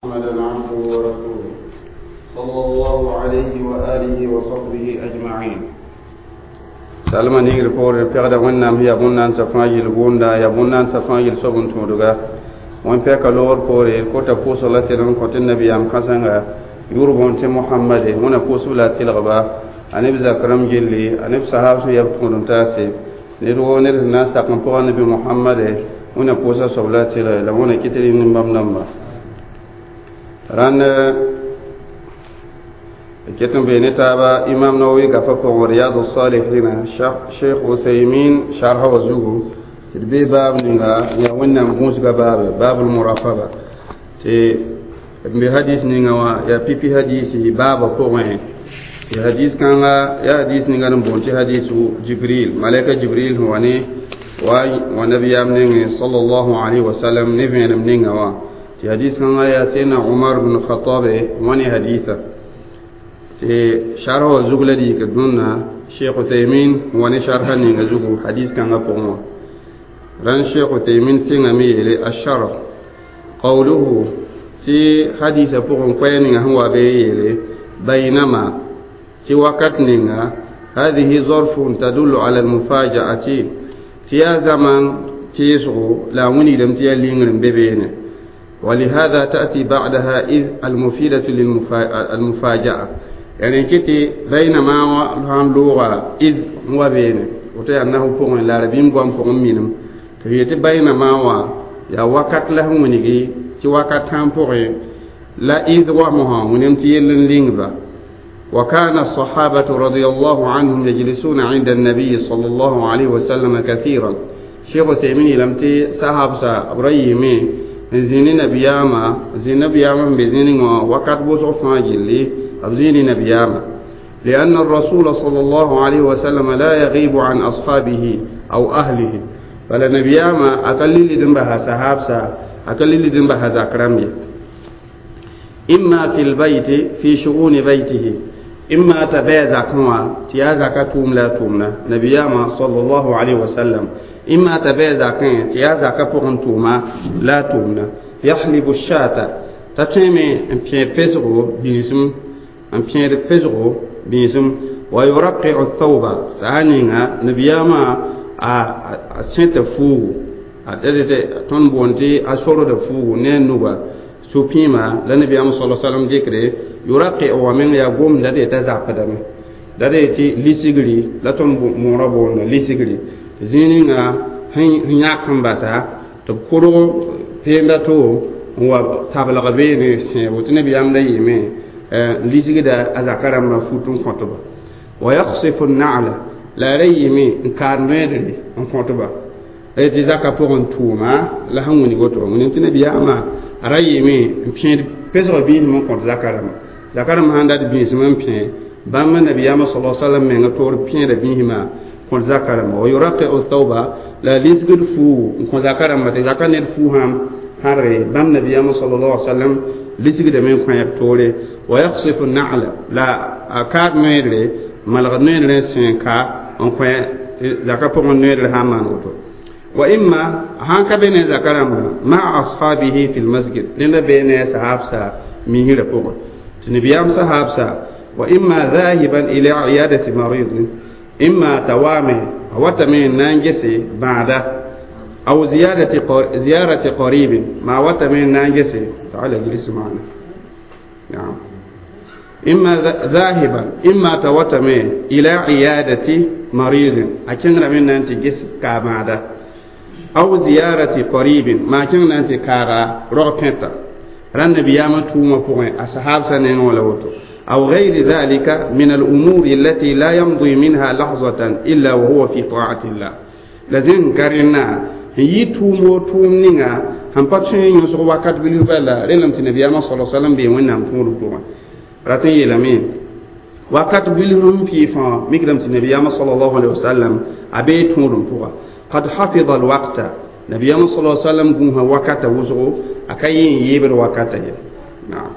محمدا عبده ورسوله صلى الله عليه وآله وصحبه أجمعين. Salma ningr poore pegda wẽnnaam yaa bõn-naandsã fãa yel gʋʋnda yaa bõn-naandsã fãa yel soab n tõodga wẽn pɛka loogr poore kota pʋʋsg la tɩd n kõ tɩ nabiyaam kãsenga yʋʋr bõon tɩ mohamade wẽna pʋʋsb la a tɩlgba a neb zak rãmb gilli a neb sahab sẽn yaa b tõod n taase ned woo ned sẽn na n sak n pʋga nabi mohamade wẽna pʋʋsa soab la a tɩlge la wẽna kɩ tɩ rɩ nin-bãmb dãmba rãnd ket n bee ne taaba imam nawawi gafa pʋgẽ riyadu salihina sheikh uthaymin sharha wa zugu tɩ d bee baab ninga yaa wẽnnaam gũusga baabe baabul muraqaba tɩ d be hadis ninga wã yaa pipi hadisi baaba pʋgẽ tɩ hadis kãnga yaa hadis ninga n boond tɩ hadisu jibril malaika jibril sẽn wa ne wa nabiyaam nengẽ sallallahu alaihi wasallam ne vẽenem ninga wã tɩ hadis kãnga yaa sena umar bn khatabe wã ne haditha tɩ sharh wã zug la d yik dũnna sheikh uthaymin wa ne sharha ninga zugu hadis kãngã pʋgẽ wã rãn sheikh uthaymin sɩngame yeele asharh qawluhu tɩ hadisã pʋgẽ koɛɛ ninga sẽn wa bee yeele baynama tɩ wakat ninga هذه ظرف تدل على المفاجأة tɩ yaa zaman teesgo la a wilgdame tɩ yaa lingr n be beene ولهذا تأتي بعدها إذ المفيدة للمفاجأة يعني كتي بينما هان لغة إذ هو بين وتي أنه فوق العربين بوام فوق منهم تيتي بينما وا يا وقت له ونيجي تي وقت هم فوق لا إذ ومها ونم تيلن لينغبا. وكان الصحابة رضي الله عنهم يجلسون عند النبي صلى الله عليه وسلم كثيرا. شيخ تيمين لم تي صحاب سا إبراهيم زين نبياما زين نبياما بزين وقت بوسو فاجلي أبزين نبياما لأن الرسول صلى الله عليه وسلم لا يغيب عن أصحابه أو أهله فلا نبياما أقل لدنبها صحابسا أقل لدنبها زكرامي إما في البيت في شؤون بيته إما تبع زكوا تيا زكا توم لا تومنا نبياما صلى الله عليه وسلم إما تبع زكا تيا زكا بورن توما لا تومنا يحلب الشاة تتمي ان بيان بيزغو بيزم ان بيان بيزغو بيزم ويرقع الثوب سانينا نبياما ا سنت فو ا تون بونتي ا سورو د فو نينوبا supima la nabiyaam sala salam dɩkre yuraqi wa meng yaa gomda de t'a zapdame la de tɩ lisigri la tõnd moorã boonda lisigri zĩig ninga sẽn yãk n basa tɩ b kʋrg peenda to n wa tablg beene sẽebo tɩ nabiyaam da yɩɩme n lisgda a zaka rãmbã fut n kõtba wa yaksifu na'la la a ra yɩɩme n kaad noɛɛdre n kõtba tɩ zaka pʋgẽ tʋʋma la sẽn wilg woto wilg tɩ nabiyaamã a ra yɩɩme n pẽed pesg biisem n kõt zaka rãmba zaka rãmb sãn dat biisem n pẽ bãmb nabiyaamã sala salam menga toor pẽeda biismã kõt zaka rãmba wa yuraqiu thawba la lisgd fuu n kõ zaka rãmba tɩ zaka ned fuu sãm sãrge bãmb nabiyaamã sallallahu alaihi wasallam lisgdame n kõ toore wa yaksifu na'la la a kaad noeedre malgd noeedre n sẽen ka n kõ tɩ zaka pʋgẽ noeedre sã n maan woto وإما هانك بين ذكرما مع أصحابه في المسجد لأن بين صحابسا مهيرة فوق تنبيام صحابسا وإما ذاهبا إلى عيادة مريض إما توامي وتمين نانجسي بعد أو زيارة قريب ما وتمين نانجسي تعال اجلس معنا نعم إما ذاهبا إما توتمي إلى عيادة مريض أكن من نانتي جس كامادا أو زيارة قريب ما كان أنت كارا رغبتا ران نبياما توما فوين أصحاب سنين ولا وتو أو غير ذلك من الأمور التي لا يمضي منها لحظة إلا وهو في طاعة الله لازم كارنا هي تومو توم نينا هم باتشين يسوع وقت بلوبلا رلم تنبياما صلى الله عليه وسلم بيوين نام تومو توما راتين يلامين وقت بلوم في فا مقدم تنبياما صلى الله عليه وسلم أبي تومو توما قد حفظ الوقت نبي صلى الله عليه وسلم قوها وقت وزغو أكاين يبر وقت نعم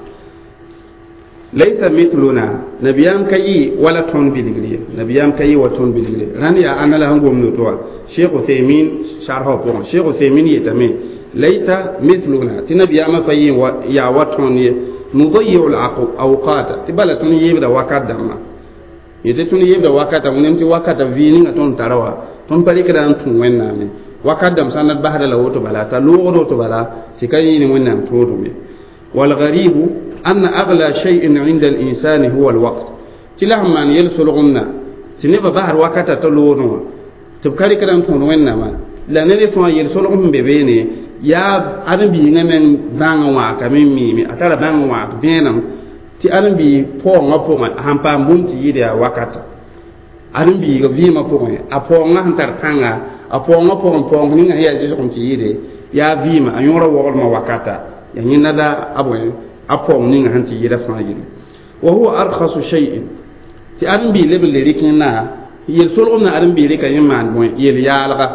ليس مثلنا نبيام كي ولا تون بلغلي نبيام كي وتون بلغلي راني أنا لهم قوم نتوى شيخ عثيمين شرحه بون شيخ عثيمين يتمي Laysa mithluna, tɩ nabiyaamã pa yaa wa tõnd ye. Nudayiu al-awqata, tɩ bala tõnd yeebda wakat dãmbã yetɩ tõnd yeebda wakata. Wẽnem tɩ wakata vɩɩ ninga tõnd tara wa, tõnd pa rɩkda n tũ Wẽnnaam ye. Wakat dãmb sã n dat basda la woto bala, t'a loogd woto bala, tɩ ka yĩi ne Wẽnnaam tõodum ye. Walgaribu anna agla shay'in inda al-insani huwa al-waqt, tɩ la sẽn maan yel-solgemdã tɩ nebã basd wakata t'a loodẽ wã, tɩ b ka rɩkda n tõod Wẽnnaamã. La ned fãa yel-solg sẽn be beene yaa ãdem-biigã meng bãng n wãakame n miime, a tara bãng n wãak vẽenem tɩ ãdem-biig paoongã pʋgẽ a sẽn paam bũmb tɩ yɩɩd yaa wakata. Ãdem-biigã vɩɩmã pʋgẽ, a paoongã sẽn tar pãnga, a paoongã pʋgẽ, paoong ninga sẽn yaa zɩsgem tɩ yɩɩde yaa vɩɩmã, a yõora woglmã wakata, yaa yẽnda la a bõe a paoong ninga sẽn tɩ yɩɩda fãa yelle. Wa huwa arkhasu shay'in, tɩ ãdem-biig leb n le rɩk yẽnda yel-solgemdã. Ãdem-biig rɩka yẽ maan bõe yel-yaalga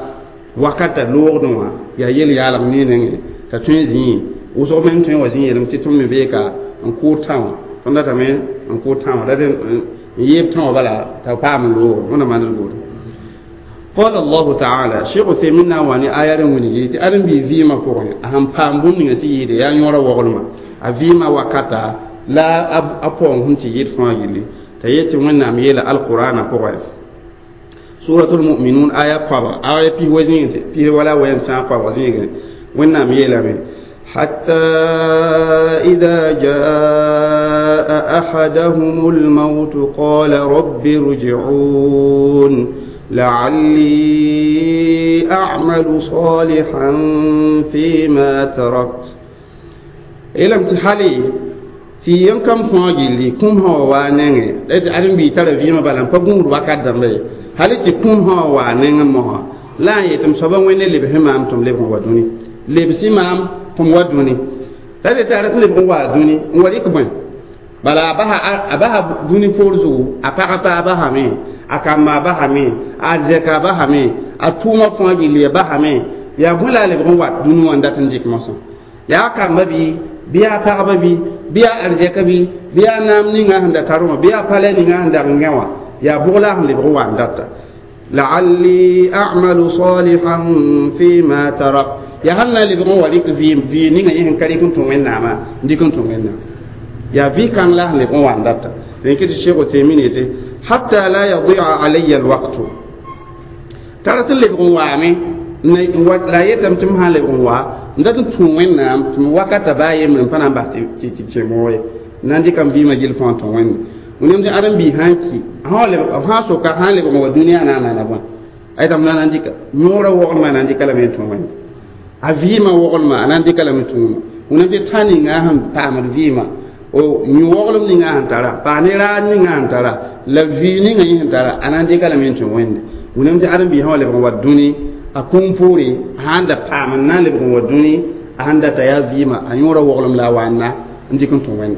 wakata loogdẽ wã yaa yel-yaalg ne nengẽ t'a tõe n zĩe wʋsg meng tõe n wa zĩ yeelame tɩ tõnd me bee ka n kʋʋd tã wã, tõnd datame n kʋʋd tã wã, dat n yeeb tã wã bala t'a paam n loogo wẽnna maand buud. Qala Allahu taala, Sheikh Uthaymin na n wa ne aya rẽ wilgi tɩ ãdem-biig vɩɩmã pʋgẽ a sẽn paam bũmb ninga tɩ yɩɩde yaa yõora woglmã, a vɩɩmã wakata la a paoong sẽn tɩ yɩɩd fãa yelle, t'a yet tɩ Wẽnnaam yeela alqurana pʋgẽ, suratul mu'minun aya koabga, aya pis wa zĩig pis wala wɛm sã koabg zĩigẽ, Wẽnnaam yeelame: حتى إذا جاء أحدهم الموت قال رب ارجعون لعلي أعمل صالحا فيما تركت. إلم تحالي tɩ yẽn kam fãa gilli kũm sã wa waa nengẽ la tɩ ãdem-biig tara vɩɩmã bala n pa gũud wakat dãmba ye, hal tɩ kũm sã wa waa nengẽ mosã la n yetɩ m soaba Wẽnde lebs maam tɩ m lebg n wa dũni, lebsi maam tɩ m wa dũni, la tɩ tara tɩ lebg n waa dũni n wa rɩk bõe bala a basa dũni poor zugu, a pag paa basame, a kamba basame, a zɛka basame, a tʋʋmã fãa gilli a basame, yaa bõe la a lebg n wat dũni wã n dat n dɩk mosã, yaa kamba bɩ yaa pagba bɩ yaa arzɛka bɩ yaa naam ninga sẽn da tar wã, bɩ yaa palɛ ninga sẽn dag n gã wã, yaa bʋg la a sẽn lebg n wa n data. La'alli a'malu salihan fima tarak, yaa sãn na n lebg n wa rɩk vɩɩm, vɩɩ ninga yẽ sẽn ka rɩk n tũ Wẽnnaamã n dɩk n tũ Wẽnnaam, yaa vɩ-kãng la sẽn lebg n wa n data. Rẽn tɩ Sheikh Uthaymin yetɩ hatta la yadia alayya alwaqtu, tara tɩ lebg n waame la yetame tɩ m sã n lebg n wa n dat n tũ Wẽnnaam tɩ m wakata baa yembre n pa na n bas tɩ kẽ ye na n dɩka m vɩɩmã gill fãa tũ Wẽnde. Wẽnem tɩ ãdem-biig sã n ki sã soka sã n lebg n wa dũniyã na n maana bõe aytame na n dɩka yõorã woglmã na n dɩka lame n tũ Wẽnde, a vɩɩmã woglmã a na n dɩka lame tũuma. Wẽnem tɩ tã ninga sẽn paamd vɩɩmã o yũ woglem ninga sẽn tara paa ne raad ninga sẽn tara la vɩɩ ninga yẽ sẽn tara a na n dɩka lame n tũ Wẽnde. Wẽnem tɩ ãdem-biig sã wa lebg n wa dũni a kũum poore, a sãn da paam n na n lebg n wa dũni, a sãn data yaa vɩɩmã, a yõora woglem la a waanna n dɩk n tũ Wẽnde.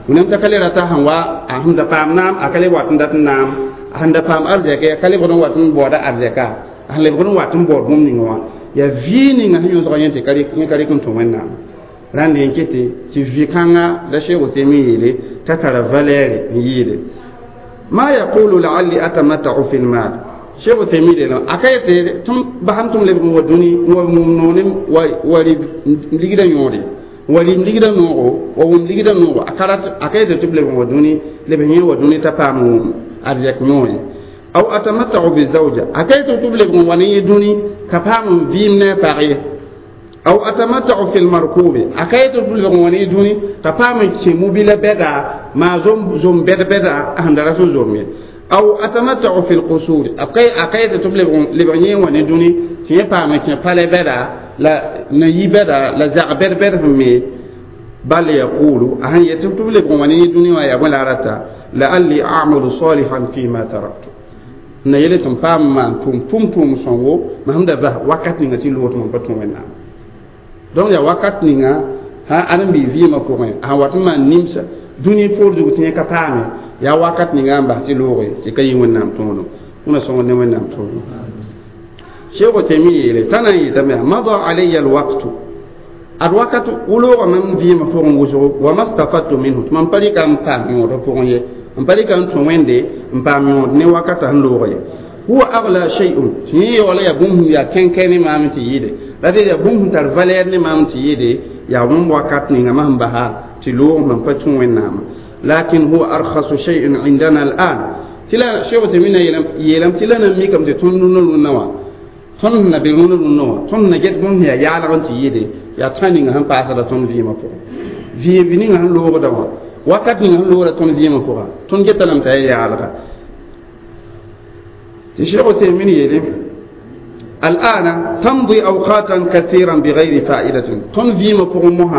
Wẽnem t'a ka le rata sẽn wa a sẽn da paam naam, a ka le wat n dat n naam, a sẽn da paam arzɛka, a ka lebgd n wat n baooda arzɛka, a sẽn lebgd n wat n baood bũmb ninga wã yaa vɩɩ ninga sẽn yõsga yẽ tɩ yẽ ka rɩk n tũ Wẽnnaam. Rãnd n ket tɩ vɩ-kãnga la Sheikh Uthaymin yeele t'a tara valɛɛre n yɩɩde ma yaqulu la'alli atamatta'u fi lmal. Cheikh Uthaymin yeelame a ka yetɩ tɩ m basam tɩ m lebg n wa dũni n wa wũm noone wa rɩ ligdã yõode, wa rɩ ligdã noogo, wa wʋm ligdã noogo, a ka yetɩ tɩ b lebg n wa dũni leb yẽ wa dũni t'a paam wʋm arzɛk noog ye. Aw atamatta'u bizawja, a ka yetɩ tɩ b lebg n wa ne yẽ dũni ka paam n vɩɩm ne a pag ye. Aw atamatta'u fi lmarkubi, a ka yetɩ tɩ b lebg n wa ne yẽ dũni ka paam n kẽ mobila bɛda maa zom bɛd-bɛda a sẽn da rat n zom ye. Aw atamatta'u fi lqusuri, a ka yetɩ tɩ b lebg yẽ n wa ne dũni tɩ yẽ paam n kẽ palɛ bɛda la na-yi bɛda la zag bɛd-bɛd sẽn me. Bal yaqulu, a sẽn yetɩ tɩ b lebg n wa ne yẽ dũni wã yaa bõe la a rata la'alli a'malu salihan fima taraktu, na yele tɩ m paam n maan tʋm tʋʋm sõngo mam sẽn da bas wakat ninga tɩ loog tɩ mam pa tũ Wẽnnaam. Donc yaa wakat ninga sã ãdem-biig vɩɩmã pʋgẽ a sẽn wat n maan nimsa dũni poor zug tɩ yẽ ka paame, yaa wakat ninga n bas tɩ looge tɩ ka yɩ Wẽnnaam tõodum. Wẽna sõngd ne Wẽnnaam tõodum. Cheikh Uthaymin yeele t'a na n yetame mada alayya alwaqtu, ad wakat wʋlooga mam vɩɩmã pʋgẽ wʋsgo, wa mastafadtu minhu, tɩ mam pa rɩka n paam yõodã pʋgẽ ye, n pa rɩka n tũ Wẽnde n paam yõod ne wakata sẽn loog ye. Huwa agla shay'un, tɩ yẽ yaoola yaa bũmb sẽn yaa kẽnkẽ ne maam tɩ yɩɩde La de yaa bũmb sẽn tar valɛɛr ne maam tɩ yɩɩde yaa wẽn wakat ninga mam basa tɩ loog mam pa tũ wẽnnaamã lakin huwa arkhasu shay'in indana al'an tɩ la Cheikh Uthaymin yeelame tɩ la na mikame tɩ tõnd rũnã rũnã wã tõnd na be rũnã rũnã wã tõnd na get bũmb sẽn yaa yaalg n tɩ yɩɩde yaa tã ninga sẽn paasda tõnd vɩɩmã pʋgẽ vɩɩm ninga sẽn loogda wã wakat ninga sẽn loogda tõnd vɩɩmã pʋgã tõnd geta lame t'a yaa yaalga tɩ Cheikh Uthaymin yeele الآن تمضي أوقاتا كثيرا بغير فائدة تون فيما بوغ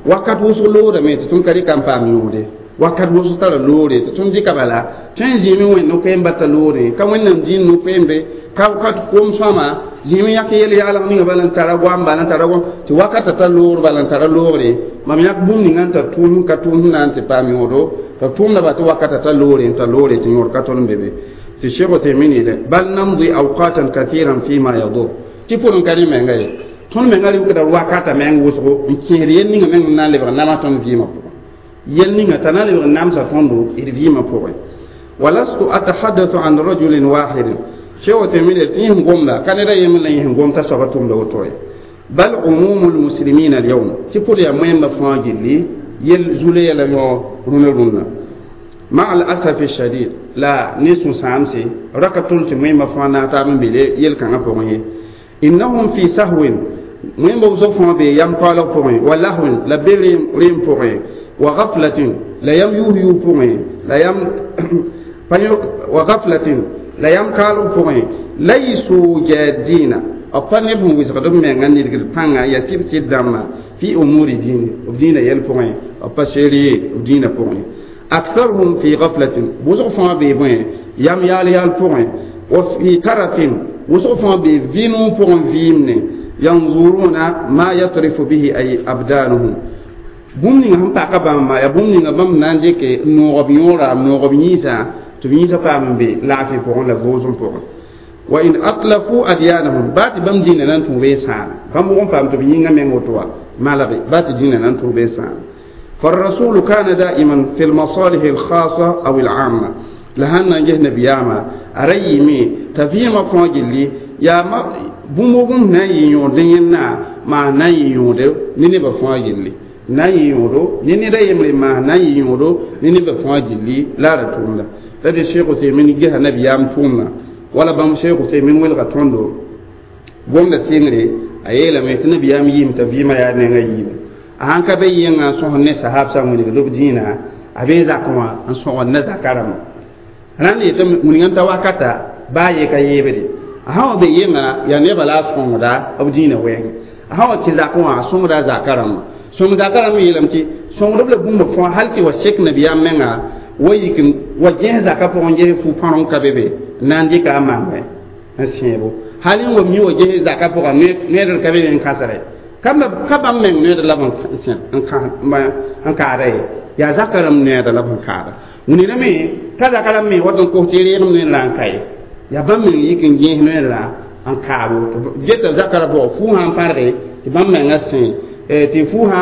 wakat wʋsg loodame tɩ tõnd ka rɩka n paam yõode wakat wʋsg tara loore tɩ tõnd dɩka bala tõe n zĩime wẽnd no-koeem bata loore ka wẽnnaam dĩin no-koeembe ka kom sõama zĩime yãk yel yaalg ninga bala n tara goam bala n tara goam tɩ wakata ta loor bala n tara loogre mam yãk bũmb ninga n tar tʋʋm ka tʋʋm sẽn na n tɩ paam yõodo tɩ tʋʋmda ba tɩ wakata ta loore n tar loore tɩ yõod ka tol n be be tɩ Cheikh Uthaymin yeele bal namdi awqatan kathiran fima yadur tɩ pʋrẽ ka rẽ menga ye tõnd menga rɩkda wakata meng wʋsgo n kẽesd yel ninga meng n na n lebg nama tõnd vɩɩmã pʋgẽ yel ninga t'a na lebg n namsa tõndo d vɩɩmã pʋgẽ walastu atahaddathu an rajulin wahidin Cheikh Uthaymin yeele tɩ yẽs gomda ka ned a yembr la yẽs gom t'a soaba tʋmda woto ye bal umumu lmuslimin alyawm tɩ pʋd yaa moẽmbã fãa gilli yel zule yɛla yõ rũnã rũnã مع الأسف الشديد لا نسو سامسي ركتول تميم فانا تام بلي يل كان بوغي إنهم في سهو ميم بوزو بي يم قالوا بوغي ولهو لا بيريم ريم بوغي وغفلة لا يم يوهيو بوغي لا يم وغفلة لا يم قالوا بوغي ليسوا جادين أبا نبهم ويسغدم من غني البانغا يسير سيداما في أمور دين ودين يل بوغي أبا شيري ودين بوغي أكثرهم في غفلة وزغفا بيبين يام يال يال بوين وفي ترف وزغفا بيفينو بوين فيمن ينظرون ما يطرف به أي أبدانهم بومني هم باقا ما يا بومني بام نانجيك نوغب يورا نوغب نيسا تبنيسا بام بي لا في بوين لا فوزون بوين وإن أطلفوا أديانهم بات بام دينا نانتو بيسان بام بوم بام تبنينا من وتوا ما لغي بات دينا نانتو بيسان فالرسول كان دائما في المصالح الخاصة أو العامة لهنا جه نبياما أريمي تفيما فاجلي يا ما بومبوم ناي يوندينا ما ناي يوندو نيني بفاجلي ناي يوندو نيني ريمري ما ناي يوندو نيني بفاجلي لا رتوملا لدي الشيخ عثيمين جه نبيام تومنا ولا بام شيخ عثيمين ولغا توندو بوم سينري أيلا ميت نبيام يم تفيما يا نيغا يم a sãn ka be yẽngã n sõsd ne sahabsã wilg b dĩinã a bee zakẽ wã n sõgd ne zakarãmbã rãnd yetɩ wilg n ta wakata baa ye ka yeebde a sã wa be yẽnga yaa nebã la a sõngda b dĩinã wɛɛngẽ a sã wa kẽ zakẽ wã a sõngda a zaka rãmbã sõng zaka rãmb yeelame tɩ sõngdb la bũmb fãa hal tɩ wa sek nabiyaam menga wa yik wa gẽs zaka pʋgẽ ges fu-pãreng ka be be n na n dɩka a mangẽ n sẽebo hal n wa mi wa ges zaka pʋgã noɛdr ka be be n kãsre ka bãmb meng noɛdr la b n kaada ye yaa zaka rãmb noɛɛda la b n kaada wilgrame t'a zaka rãmb me wat n kos tɩ reegem noɛɛr n ka ye yaa bãmb meng yik n gẽes noɛɛr n kaab woto geta zaka ra pʋgã fuu sã n pãrge tɩ bãmb menga sẽ tɩ fuu sã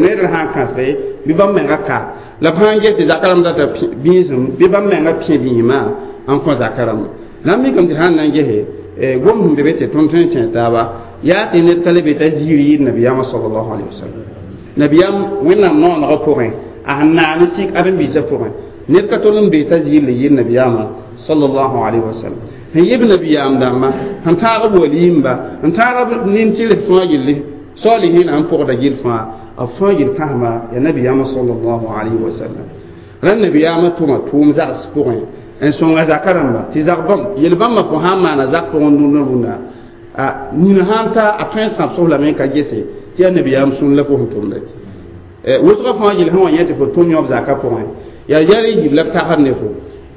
noɛɛr sã n kãsge bɩ bãmb menga ka la b sã n ges tɩ zaka rãmb data bĩisem bɩ bãmb menga pẽ bĩismã n kõ zaka rãmba la n mikame tɩ sã n na n gese gom sẽn be be tɩ tõnd tõe n kẽ taaba yaa tɩ ned ka le be t'a ziir yɩɩd nabiyaamã sallallahu alaihi wasallam nabiyaam wẽnnaam noonegã pʋgẽ a sẽn naan sik ãdem-biisã pʋgẽ ned ka tol n be t'a ziir le yɩɩd nabiyaamã sallallahu alaihi wasallam sẽn yɩb nabiyaam dãmbã sẽn taag b waliimba n taag b nin-tɩrs fãa gilli salihina n pʋgda gill fãa b fãa gill kãsema yaa nabiyaamã sallallahu alaihi wasallam rãnd nabiyaamã tʋma tʋʋm zags pʋgẽ n sõnga zaka rãmba tɩ zak bãmb yel-bãmbã fo sã n maana zak pʋgẽ rũndã rũndã a nina sã n ta a tõe n sãbs lame n ka gese tɩ yaa nabiyaam sũur la fo sẽn tʋmda wʋsgã fãa gill sẽn wa yẽ tɩ fo tʋm yõb zaka pʋgẽ yaa yɛl n yib la b tagsd ne fo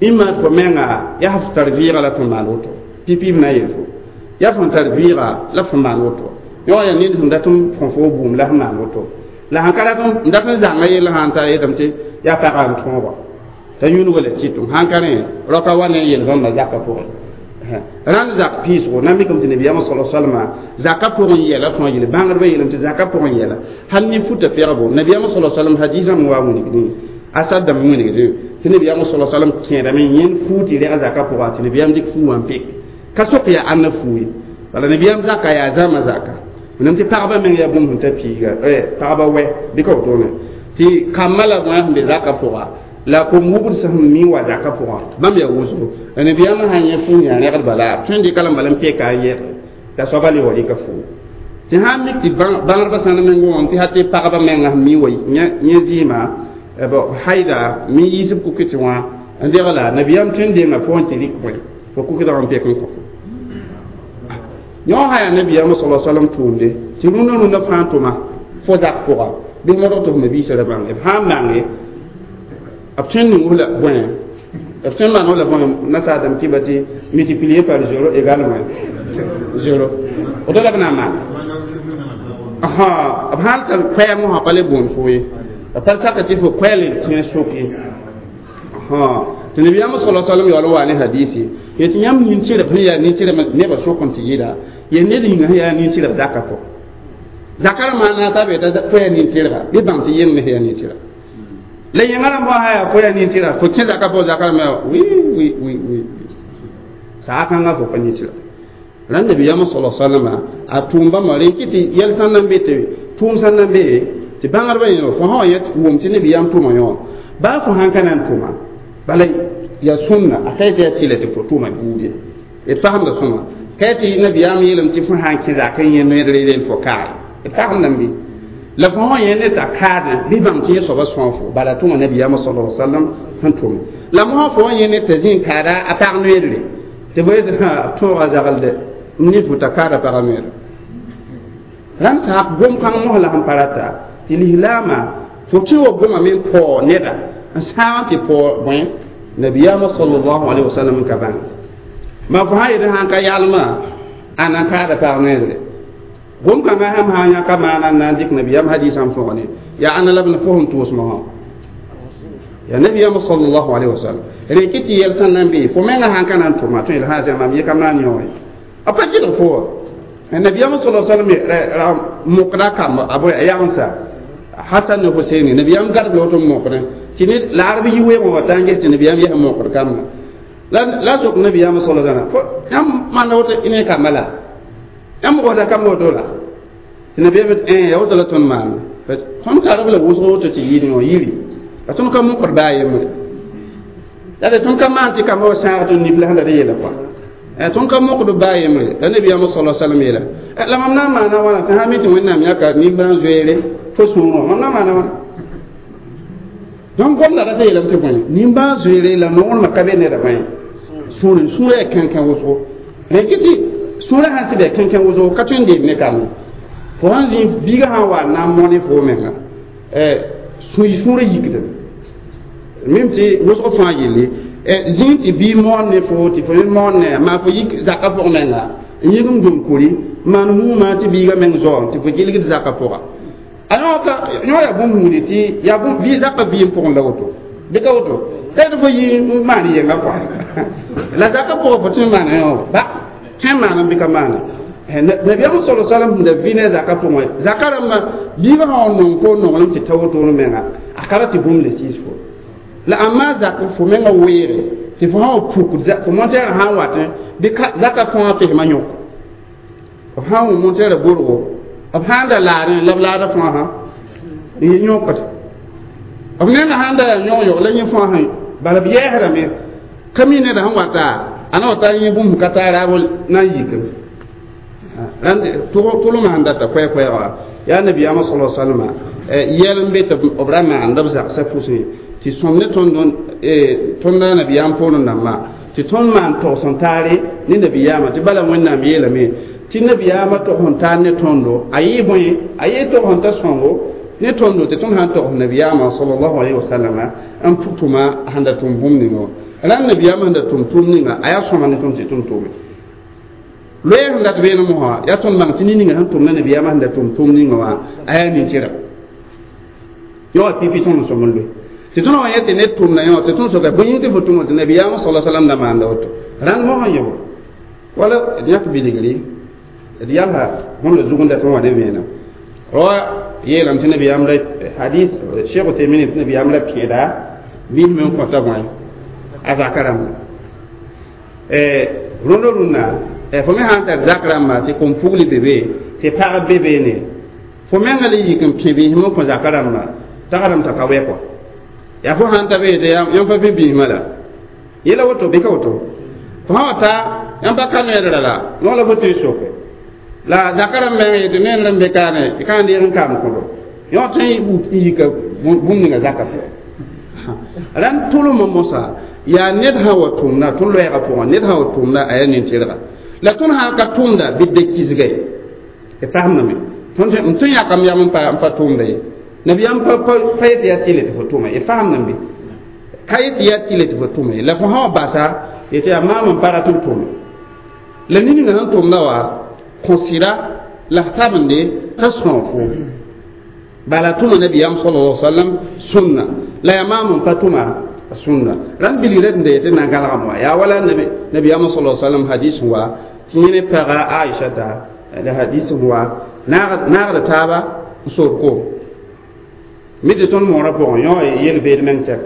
ĩmma fo menga yaa f tar vɩɩga la fo maan woto pipi b na n yel fo yaa fõn tar vɩɩga la fo maan woto yõ yaa ned sẽn dat n fõ fo bũmb la f maan woto la sãn ka rat n dat n zãnga yell sã n ta yetame tɩ yaa pagã n tõoga t'a yũudga la tɩtʋm sãn ka rẽ raka wa ne yel-bãmba zaka pʋgẽ rãnd zak piisgo na n mikame tɩ nabiyaamã sala salma zaka pʋgẽ yɛla fãa yelle bãngdbã yeelame tɩ zaka pʋgẽ yɛla hal ne futa pɛgbo nabiyaamã sala salm hadiisã me wa wilgdẽ asad dãmb wilgdẽ tɩ nabiyaamã sala salm kẽedame yẽnd fuu tɩ rɛga zaka pʋga tɩ nabiyaam dɩk fuu wã n pek ka sok yaa ãnna fuu ye bala nabiyaam zaka yaa zãma zaka Wẽnnaam tɩ pagba meng yaa bũmb sẽn ta piiga pagba wɛ bɩ ka wotone tɩ kambã la bõe sẽn be zakã pʋga la kom-wubd sẽn mi wa zakã pʋgã bãmb yaa wʋsgo la nabiyaamã sã yẽ fuun yaa rẽgd bala b tõe n dɩka la n bala n peka n yɛge t'a soaba le wa rɩka fuugu tɩ sã n mik tɩ bãngdbã sãn meng wã tɩ ha tɩ pagba menga sẽn mi wa yẽ zɩɩmã haida mi yiisb kukɩtɩ wã n degla nabiyaam tõe n denga fo n tɩ rɩk bõe fo kukɩdg n pek n kõ yõ sã yaa nabiyaamã sala salam tʋʋmde tɩ rũndã rũndã fãa tʋma fo zak pʋga bɩ modg tɩ f mabiisã ra bãnge b sã n mange b tõe n ning la bõe b tõe n maan la bõe nasaadame tɩ ba tɩ multiplier par zéro égale moins zéro woto la b na n maana b sãn tar koɛɛm wã pa le boond fo ye b pa saka tɩ fo koɛɛl tẽeg sʋk ye tɩ nabiyaamã sala salam yaool n wa ne hadisi ye tɩ yãmb nin-tɩrb sẽn yaa nin-tɩrb nebã sʋk n tɩ yɩla ye ned yĩnga sẽn yaa nin-tɩrb zakã pʋgẽ zakã rãmbã na t'a be t'a fo yaa nin-tɩrga bɩ bãng tɩ yem me sẽn yaa nin-tɩrga la yẽngã rãmbã sã yaa fo yaa nin-tɩrga fo kẽ zakã pʋgẽ zakã rãmbã wi wi wi wi saa kãngã fo pa nin-tɩrga la nabiyaamã sala salama a tʋʋm bãmba rẽ kɩ tɩ yɛl sãn na n be tɩ tʋʋm sãn na n be tɩ bãngdbã yẽ fo sã wa yet wʋm tɩ nabiyaam tʋʋma yõ baa fo sãn ka na n tʋma bala ya sunna a ka tɩ yaa tɩla tɩ fo tʋʋma buud ye d fasemda sõma ka tɩ nabiyaam yeelame tɩ fo sãn kẽ zak n yẽ noeedre rel fo kaare d fasemdame bɩ la fo sã yẽ ne t'a kaadẽ bɩ bãng tɩ yẽ soaba sõa fo bala tʋma nabiyaamã sala sallam sẽn tʋme la mosã fo wã yẽ ne t'a zĩ n kaada a pag noeedre tɩ fo yetɩ b tõoga zagl n ne fo t'a kaada pagã noeedre rãnd saak gom-kãng mos la sẽn pa rata tɩ lislaamã fo tɩ wa goma me n paoog neda n sãag tɩ paoog bõe nabiyaamã sallallahu alaihi wasallam n ka bãng ma fo sã yetɩ sãn ka yalmã a na n kaada pag noeedre gom-kãngã sãm sã n yãka maana n na n dɩk nabiyaam hadisã n fõgne yaa ãnna la b fo sẽn tʋʋsmã wã yaa nabiyaamã sallallahu alaihi wasallam rẽ kɩ tɩ yɛl sẽn na n be fo menga sãn ka na n tʋma tõe la sã mam ye ka maan yõ a pa gɩlg fo wa nabiyaamã sallallahu alaihi wasallam mokda kamba a bõe a yagensa Hasan ne Husaini nabiyaam gad la woto mokdẽ tɩ ne laarb yi weoogã wa t'a n ges tɩ nabiyaam yɛs mokd kamba la sok nabiyaamã sallallahu alaihi wasallam fo yãmb maanda woto ne kamba la yãmb gosda kamba woto la tɩ nabiyaam ya woto la tõnd maanda tõnd karb la wʋsg woto tɩ yɩɩd yõ yiri la tõnd ka mokd baa yembre la de tõnd ka maan tɩ kamba wa sãag tõnd nif la sẽn da yeela kɔa tõnd ka mokd baa yembre la nabiyaamã sallallahu alaihi wasallam yeela la mam na n maana wãna tɩ sã mi tɩ wẽnnaam yãka nimbãan zoeere fo sũurẽ mam na n maana wãna donc gomda ra tɩ yeelame tɩ bõe nimbãan zoeere la nonglmã ka be neda bõe sũurẽ sũurã yaa kẽnkẽ wʋsgo rẽ kɩ tɩ sũurã sãn tɩ bɩ kẽnkẽ wʋsgo ka tõe n deem ne kamb fo sãn zĩ biigã sã n wa n na n mõne fo menga sũurã yikdame mim tɩ wʋsg fãa yelle zĩig tɩ bii moon ne fo tɩ fo me moon ne maa fo yik zakã pʋg menga n yik n dũm kuri maan muumã tɩ biigã meng zaoom tɩ fo gilgd zakã pʋga a yõ yaa bũmb huudi tɩ yaa bũmb zakã vɩɩm pʋgẽ la woto bɩ ka woto ka tɩ fo yi n maan yenga kɔa la zakã pʋgã fo tõe n maana yõ ba tõe n maana bɩ ka maana nabiyaam sala salam sẽn da vɩ ne a zakã pʋgẽ zakã rãmbã biigã sã n nong fo nonglem tɩ ta wotone menga a ka ra tɩ bũmb le sɩɩs fo la amma zak fo menga weere tɩ fo sã wa puk fo montɛɛrã sã n watẽ bɩ zakã fãa pesmã yõk b sã n wʋm montɛɛrã borgo b sã n da laarẽ la b laada fãa sã n yẽ yõkd b nenga sãn da yaa yõg-yog la yẽ fãa sã bala b yɛɛsrame ka mi neda sẽn wata a na wa tar yẽ bũmb ka taa raab na n yikame rãnd tʋlmã sẽn data koɛɛ-koɛɛga yaa nabiyaamã sala salama yɛl n be tɩ b ra maanda b zagsã pʋsẽ tɩ sõm ne tõnd nabiyaam poorẽ dãmbã tɩ tõnd maan togs n taare ne nabiyaamã tɩ bala wẽnnaam yeelame tɩ nabiyaamã togs n taar ne tõndo a yɩ bõe a yɩ togs n ta sõngo ne tõndo tɩ tõnd sã n togs nabiyaamã sallallahu alaihi wasallam n pʋ tʋma sẽn da tʋm bũmb ninga wã rãnd nabiyaamã sẽn da tʋm tʋʋm ninga a yaa sõma ne tõnd tɩ tõnd tʋme loɛɛ sẽn dat beene mosã yaa tõnd bãng tɩ ne-ninga sẽn tʋmda nabiyaamã sẽn da tʋm tʋʋm ninga wã a yaa nin-tɩrg yõ wa pipi tõnd n sõm n loe tɩ tõnd wa yẽ tɩ ned tʋmda yõ tɩ tõnd soka bõe yĩng tɩ fo tʋm tɩ nabiyaamã sala salam da maanda woto rãnd mosã yõ wala d yãk bilgri d yalsa bõmb la zug n dat n wa ne vẽenem rawa yeelame tɩ nabiyaam la hadis cheikh Utemin tɩ nabiyaam la pẽeda biis me n kõta bõe a zaka rãmba rũndã rũndã fo me sãn tar zak rãmba tɩ kom pugli be be tɩ Tɩ pag be beene fo menga le yik n pẽ biismã n kõ zaka rãmba t'a ka rãmb t'a ka wɛ kɔa yaa fo sãn ta be yetɩ yãmb pa pẽ biismã la yela woto bɩ ka woto fo sã wa ta yãmb pa ka needrã la no la fo tɩ soke la zaka rãmb menga yetɩ ned rãmb be kaane y ka n deeg n kaam kõdo yõ tõe n yika bũmb ninga zaka pʋgẽ rãnd tʋlmã mosã yaa ned sã wa tʋmda tõnd loɛɛgã pʋgẽ ned sã wa tʋmda a yaa nin-tɩrga la tõnd sã ka tʋmda bɩ da kisga ye d fasemdame tõnd tõe yãkam yam n pa tʋmda ye nabiyaam pa yetɩ yaa tɩle tɩ fo tʋma ye fasemdame bɩ ka yetɩ yaa tɩle tɩ fo tʋma ye la fo sã wa basa yetɩ yaa maam n pa rat n tʋme la ned ninga sẽn tʋmda wa kõ sɩda la f tabende t'a sõog fo bala tʋma nabiyaam sallallahu alaihi wasallam sunna la yaa maam n pa tʋma sunna rãnd bilgra d yetɩ na n gãlgame wa yaa wala nabiyaam sallallahu alaihi wasallam hadis wa tɩ yẽ ne paga Aishata la hadis wa naagda taaba n soor koom mi tɩ tõnd moorã pʋgẽ yõ yel-beed meng tɛk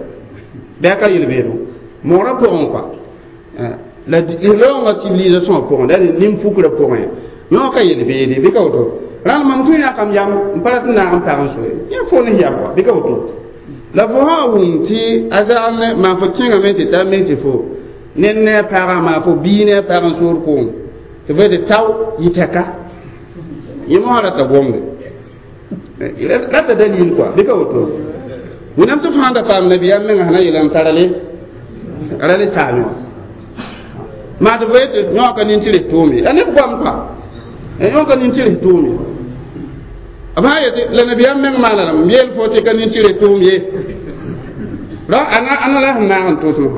bɩ a ka yel-beedo moorã pʋgẽ kɔa la lislaoongã civilisation pʋgẽ la nin-pukrã pʋgẽ yõ ka yel-beede bɩ ka woto rãnd mam tõe yãkam yam n pa rat n naag n pag n soe yẽ fo ne yam kɔa bɩ ka woto la fo sã wʋm tɩ a zagl ne maan fo kẽngame tɩ ta me tɩ fo ned ne a pagã maa fo bii ne a pag n soor koom tɩ fo tɩ tao yɩ tɛka yẽ mosã rata gomde rata dalil kɔa bɩ ka woto wẽnnaam tɩ fãa da paam nabiyaam menga sẽn na yeelame t'a ra le saame wã maa tɩ fo yetɩ yõoka nin-tɩrs tʋʋm ye la neb goam kɔa yõoka nin-tɩrs tʋʋm ye b sã yetɩ la nabiyaam meng maana lame m yeel fo tɩ ka nin-tɩrs tʋʋm ye ra ana la sẽn naag n tʋʋsem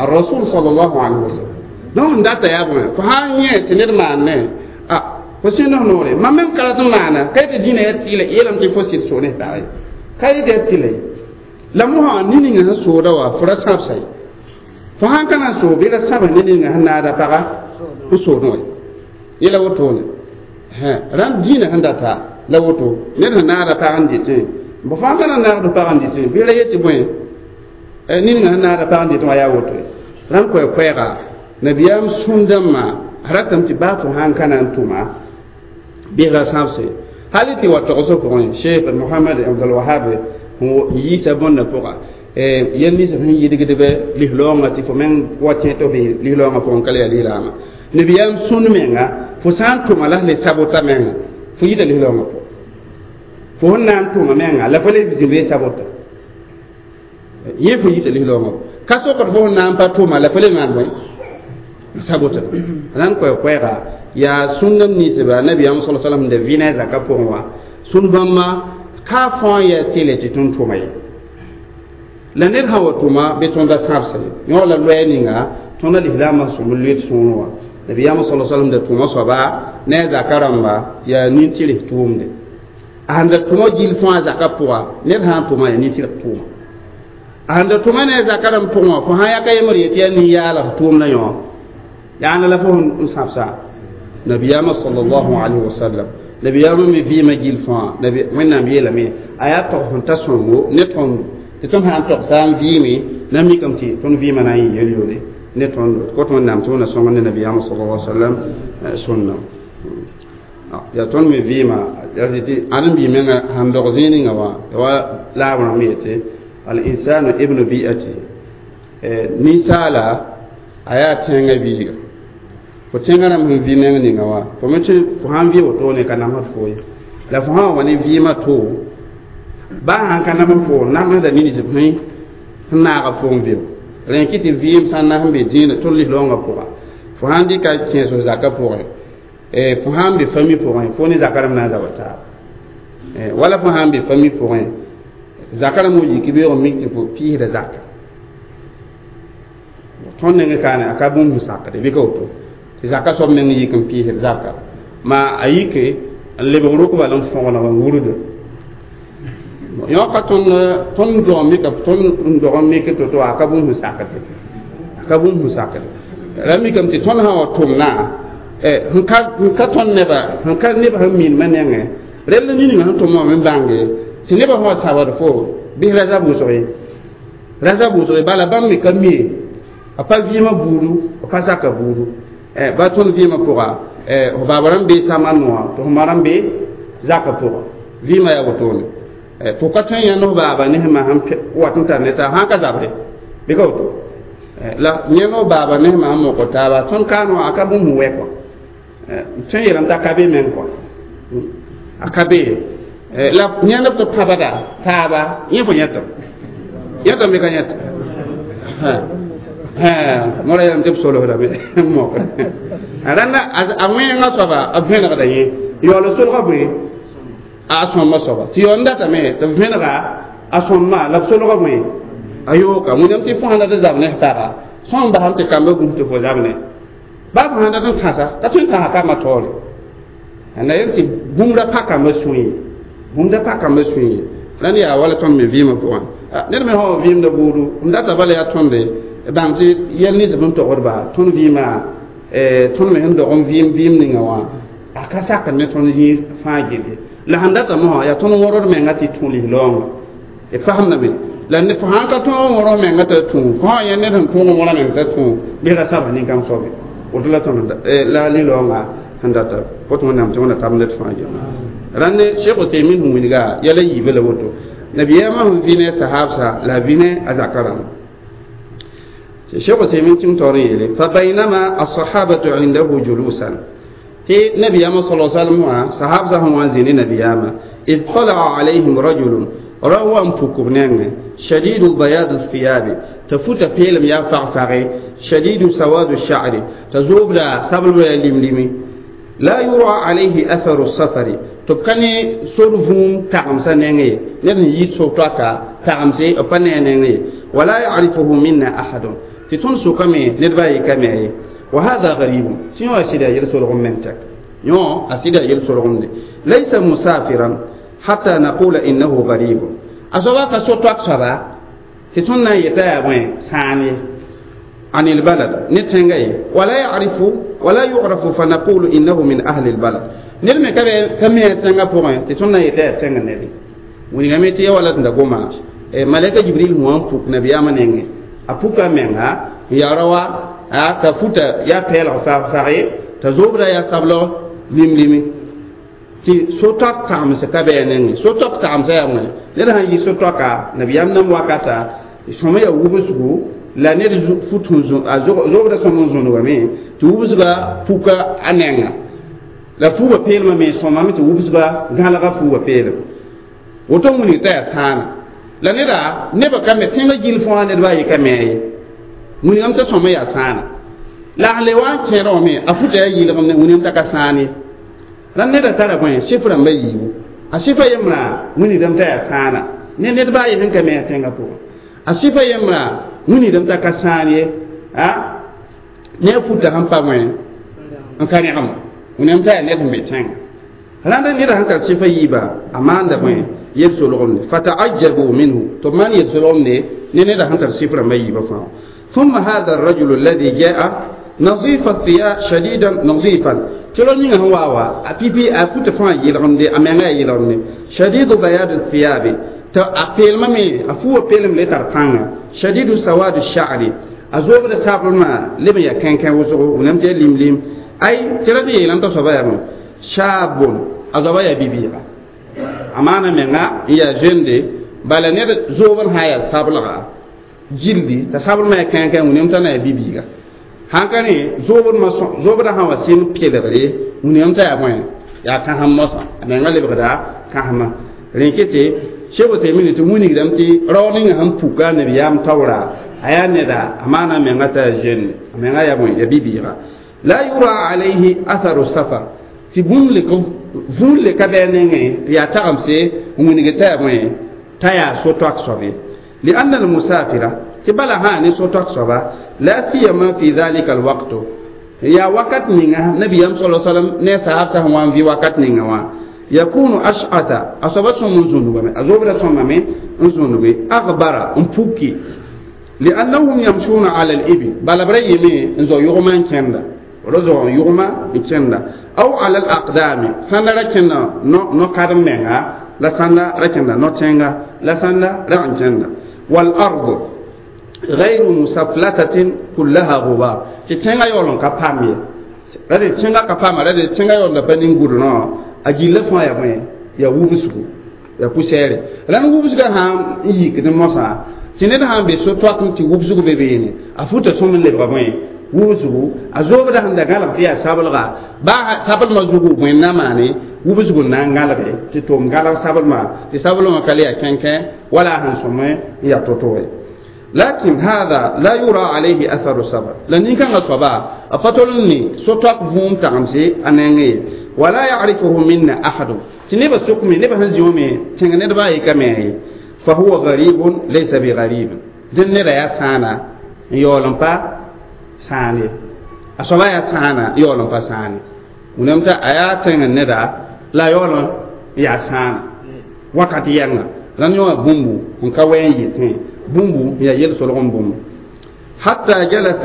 الرسول صلى الله عليه وسلم donc n data yaa bõe fo sã n yẽ tɩ ned maan ne a fo sẽnd f noore mam mem ka rat n maana ka yetɩ dĩinã yaa tɩɩla yeelame tɩ fo sɩd soog ne pag ye ka yetɩ yaa tɩla ye la mosã ne ninga sẽn sooda wa fo ra sãbsa ye fo sãn ka na n soog bɩ ra sãbs ne ninga sẽn naada paga n soodẽ wa yela wotone rãnd dĩinã sẽn data la woto ned sẽn naada pag n dɩtẽ bõ fãa ka na n naagd pag n dɩtẽ bɩ ra yetɩ bõe ninga sẽn naada pag n dɩtẽ wa yaa woto ye rãnd koɛ-koɛɛga nabiyaam sũn-dãmbã ratame tɩ baa fo sãn ka na n tʋma bɩs ra sãbse hal tɩ wa togsg pʋgẽ Sheikh Mohamad Abdulwahab n yiisa bõnda pʋga yel nins sẽn yidgdbɛ lislaoongã tɩ fo meng wa tẽ tɩ f lislaoongã pʋgẽ ka le yaa lislaamã nabiyaam sũnd menga fo sã n tʋma la le sabota menga fo yita lislaoongã pʋgẽ fo sẽn na n tʋma menga la fo le zĩb sabota yẽ fo yita lislaoongã ka sokd fo sẽn na n pa tʋma la fo le maan bõe sabota rãnd koɛ-koɛɛga yaa sũndam ninsba nabiyaam sala salam da vɩ ne a zaka pʋgẽ wã sũnd bãmba ka fãa yaa tɩle tɩ tõnd tʋma ye la ned sã wa tʋma bɩ tõnda sãbsa ye yõ la loɛɛ ninga tõnda lislaamã sõmb loeed sõor wã nabiyaam sala salam da tʋma soaba ne a zaka rãmba yaa nin-tɩrs tʋʋmde a sẽn da tʋma gill fãa zaka pʋga ned sã n tʋma yaa nin-tɩrg tʋʋma a sẽn da tʋma ne a zaka rãmb pʋgẽ wã fo sã yaka yembr yetɩ yaa nin-yaala f tʋʋmda yõ yaana la fo n sãbsa nabiyaamã sallallahu alayhi wa sallam nabiyaamã me vɩɩmã gill fãa wẽnnaam yeelame a yaa tog sẽn ta sõngo ne tõnd tɩ tõnd sã n togsa n vɩɩme na mikame tɩ tõnd vɩɩmã na n yɩ yel-yoore ne tõnd kot wẽnnaam tɩ wẽnna sõng ne nabiyaamã sallallahu alayhi wa sallam sũnna yaa tõnd me vɩɩma tɩ ãdem-bi menga sãn dog zĩig ninga wã wa laab rãmb yetɩ al insanu ibnu bi'atihi ninsaala a yaa tẽngã biiga fo tẽngã rãmb sẽn vɩ meng ninga wã fo me tɩ fo sãn vɩ wotone ka namsd fo ye la fo sã wa ne vɩɩmã to baa sãn ka namsd fo namsda nins sẽn naaga fo n vɩ rẽ kɩ tɩ vɩɩm sã n na sẽn be dĩinã tõnd lislaoongã pʋga fo sãn dɩka kẽes zaka pʋgẽ fo sãn be fami pʋgẽ fo ne zaka rãmb na n zaba taaba wala fo sãn be fami pʋgẽ zaka rãmb w yik beoog mik tɩ fo piisda zaka tõnd nengẽ kaane a ka bũmb sẽn sakde bɩ ka woto tɩ zaka soab meng yik n piisd zaka maa a yike n lebg rʋk bal n fõgeneg n wurda yõ ka tõnd dog mika tõnd dog n mik to-to a ka bũmb sẽn sakde a ka bũmb sẽn sakde ra mikame tɩ tõnd sã wa tʋmna sẽn ka tõnd neba sẽn ka neb sẽn minmã nengẽ rell nin-ninga sẽn tʋm wã me bãnge tɩ nebã sã wa sabd fo bɩs ra zab wʋsg ye bala bãmb me ka mie a pa vɩɩmã buudu a pa zaka buudu ba tõnd vɩɩmã pʋga F baaba rãmb bee samã noa tɩ f ma rãmb be zakã pʋgã vɩɩmã yaa wotone fo ka tõe n yãnd f baaba ne f ma sẽn wat n tar ne taab sãn ka zabre bɩ ka woto la yãnd f baaba ne f ma sẽn mok taaba tõnd kaane wã a ka bũmb sẽn wɛ kɔa tõe n yeelame t'a ka be meng kɔa a ka be la yãnd b tɩ pãbda taaba yẽ fo yẽtame yẽtame bɩ ka yẽta mora yeelame tɩ b solsdame n mokre rãnda a wẽengã soaba b vẽnegda yẽ yaool solga bõe a sõmba soaba tɩ yaool n datame tɩ b vẽnega a sõmba la b solga bõe a yooka wẽnnaam tɩ fo sãn dat n zab ne f taga sõm basam tɩ kamba gũs tɩ fo zab ne baa fo sãn dat n tãsa ka tõe n tãsa kambã taoore la yel tɩ bũmb ra pa kambã sũy bũmb da pa kambã sũy rãnd yaa wala tõnd me vɩɩmã pʋgẽ ned me sã wa vɩɩmda buudu m data bala yaa tõnde bãng tɩ yɛl nins b n togdba tõnd vɩɩmã tõnd me sẽn dog n vɩɩm vɩɩm ninga wã a ka sakd ne tõnd zĩig fãa gelle la sẽn data mosã yaa tõnd wõrd menga tɩ tũ lis-laoonga d fasemdame la fo sãn ka tõog n wõrs menga t'a tũ fo sã yẽ ned sẽn tõog n wõra meng t'a tũ bɩ ra saba nin-kãng soabe woto la tõnd la lis-laoonga sẽn data fo tɩ wẽnnaam tɩ wẽnna tab ned fãa gelle rãnd Cheikh Uthaymin sẽn wilga yɛla yiibã la woto nabiyaamã sẽn vɩ ne sahabsa la a vɩ ne a zakã rãmba الشيخ عثيمين تم توريه فبينما الصحابة عنده جلوسا تي نبي صلى الله عليه وسلم صحابة هم وازنين نبي إذ طلع عليهم رجل روى فكرنان شديد بياض الثياب تفوت فيلم يا فغفغي شديد سواد الشعر تزوب لا سبل لملمي لا يرى عليه أثر السفر تبقني سرفون تعمسا نيني نحن يتسوطاكا تعمسي أبنى نيني ولا يعرفه منا أحد tɩ tõnd sʋkame ned ba yɩ ka me ye wa hada garibun tɩ yõ a sɩda yel-solgem meng tɛk yõ a sɩda yel-solgemde laysa musafiran hatta naqula innahu garibun a soaba ka so-toak soaba tɩ tõnd na n yeta yaa bõe sãan ye عن البلد نتنغي ولا يعرف ولا يعرف فنقول إنه من أهل البلد نرمي كم يتنغى بوغن تتونا يتا تنغى نبي ونغمي تي ولا تندغوما ملائكة جبريل هو فوق نبي أمانينغي a puka menga ya rawa a ta futa ya pɛɛlg fag-fag t'a zobra ya sablo lim-limi tɩ so-toak tagemse ka bɩ a nengẽ so-toak tagemsã yaa wẽne ned sãn yi so-toaka nabiyaam nam wakata sõma yaa wubsgu la ned fut zobda sõm n zõnegame tɩ wubsga puka a nenga la fuuga peelmã me sõmame tɩ wubsga gãlga fuuga peelem woto wilg t'a yaa sãana la neda nebã ka me tẽngã gill fãa ned baa yɩ ka me ye wilgame t'a sõma yaa sãana la a le wa n kẽeda wã me a futa yaa yɩlgem ne wilgame t'a ka sãan ye la neda tara bõe sɩf rãmbã yiibu a sɩfa yembrã wilgdame t'a yaa sãana ne ned baa yɩ sẽn ka me a tẽngã pʋgẽ a sɩfa yembrã wilgdame t'a ka sãan ye a ne a futa sẽn pa bõe n ka rẽgem wilgame t'a yaa ned sẽn be tẽngã rãnda neda sẽn ka sɩfa yiiba a maanda bõe yel-solgemde fataajabu minhu tɩ b maan yel-solgemde ne neda sẽn tar sɩf rãmbã yiibã fãa ثم هذا الرجل الذي جاء نظيف الثياب شديدا نظيفا تلو نيغا هو وا بيبي افوت فان يلغمدي امنغا يلغمدي شديد بياض الثياب تا ابيل مامي افو بيلم لي تر فان شديد سواد الشعر ازوب سابلما لم يا كان كان وزو ولم تي لم لم اي ترى دي لم تصبا يا شاب ازوبا يا بيبي amana menga ya jende bala ne zoban haya sablaga jildi ta sablma ya kan kan wʋnem t'a na ya bibiiga sãn ka rẽ zobdã sã wa sɩm pɩlgre wũniyam t'a yaa bõe yaa kãsem mosã a menga lebgda kãsema rẽ ket tɩ Cheikh Uthaymin tɩ wilgdame tɩ rao ninga sẽn puka nabiyaam taoora a yaa neda a maana a menga t'a yaa jeune a menga yaa bõe ya bibiiga la yura alayhi atharu safar tɩ bũmb le vũun le ka bɩ a nengẽ tɩ yaa tagemse n wilg t'a yaa bõe t'a yaa so-toak soab ye لأن المسافر تبلا هاني سوتك صبا لا سيما في ذلك الوقت يا وقت نينا نبي صلى الله عليه وسلم نسا أفسه وان في وقت نينا يكون أشعث أصابت من زنوبة أزوبر سمامي زنوبة أغبر أمبوكي لأنهم يمشون على الإبل بل بريمي إنزو يغمان كندا رزو يغما كندا أو على الأقدام سنة ركنا نو نو كارم منها لا سنة ركنا نو تنغا لا سنة ركنا والأرض غير مسفلتة كلها غبار تتنغا يولون كبامي Rade tẽngã ka paama rade tẽngã yaoolda pa nin-gʋdnã a gilla fãa ya bõe ya wubsgu ya pʋsɛɛre la n wubsgã sã n yikd mosã tɩ ned sã n be so-toak tɩ wubsg be beene a futa sõm n lebga bõe wubsgu a zoobda sẽn da gãlg tɩ yaa sablga baa sablmã zugu bõe n na maane wubsgu n na n gãlge tɩ tʋʋm gãlg sablmã tɩ sablmã ka le yaa kẽnkẽ wala a sẽn sõm n yaa to-to ye. لكن هذا لا يرى عليه أثر السفر. لأن كان صبا أفتولني سوتاك فوم تغمسي أنني ولا يعرفه منا أحد. تنبى سكمي نبى هنزيومي تنغني باي كمي فهو غريب ليس بغريب. دين لا يسانا يولن با ساني. أصبا يسانا يولن با ساني. ونمتا آيات تنغني لا يولن يسانا. وقت يانا لن يوم بومبو نكوين يتين بومبو يا يل سلغم بومبو حتى جلس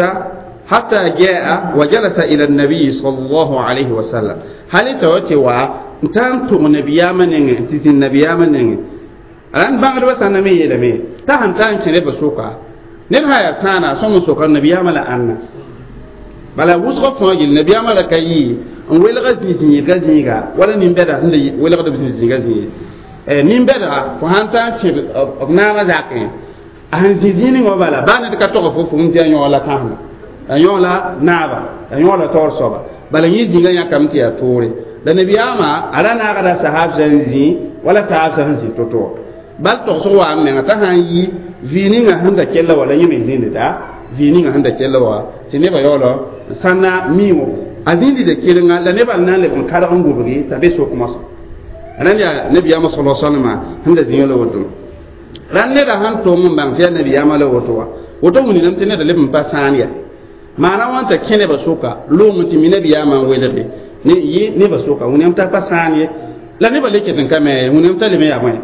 حتى جاء وجلس إلى النبي صلى الله عليه وسلم. هل توتوا تانتو النبي منين تزين النبي منين أن بعد بس أنا مي يلمي تهم تان كني بسوكا نبها يا تانا سوم سوكا النبي ملا أنا بلا وسخ فوق النبي ملا كي ويلغ زيني غزيغا ولا نيمبدا ويلغ زيني غزيغا نيمبدا فهانتا تشي زاكين أهن زيني وبلا بانا تكتوك فوف متي أن يولا كهنا أن يولا نابا أن يولا تورسوبا بل يزيغا يا كمتي يا توري لنبي أما على ناغدا صحاب زنزي ولا صحاب زنزي توتو بل تغسوا أمنا تهان يي فينيغا هندا كيلا ولا يمي زيني تا فينيغا هندا كيلا وا تنبا يولا سنة ميو أزيندي دي كيلنا لنبا نان لبن كارغن غوبغي تبي سوك مصر أنا يا نبي أما صلى الله عليه وسلم هندا زيني ودو ran neda sãn tʋm n bãng tɩ yaa nabiyaamã la woto wa woto wũni tɩ neda leb n pa sãan ya maana wãn t'a kẽ nebã sʋka loom tɩ mi nabiyaamã n welge ne yɩ nebã sʋka wũniyam t'a pa sãan ye la nebã le ket n ka me wũniyam t'a leb n yaa bõe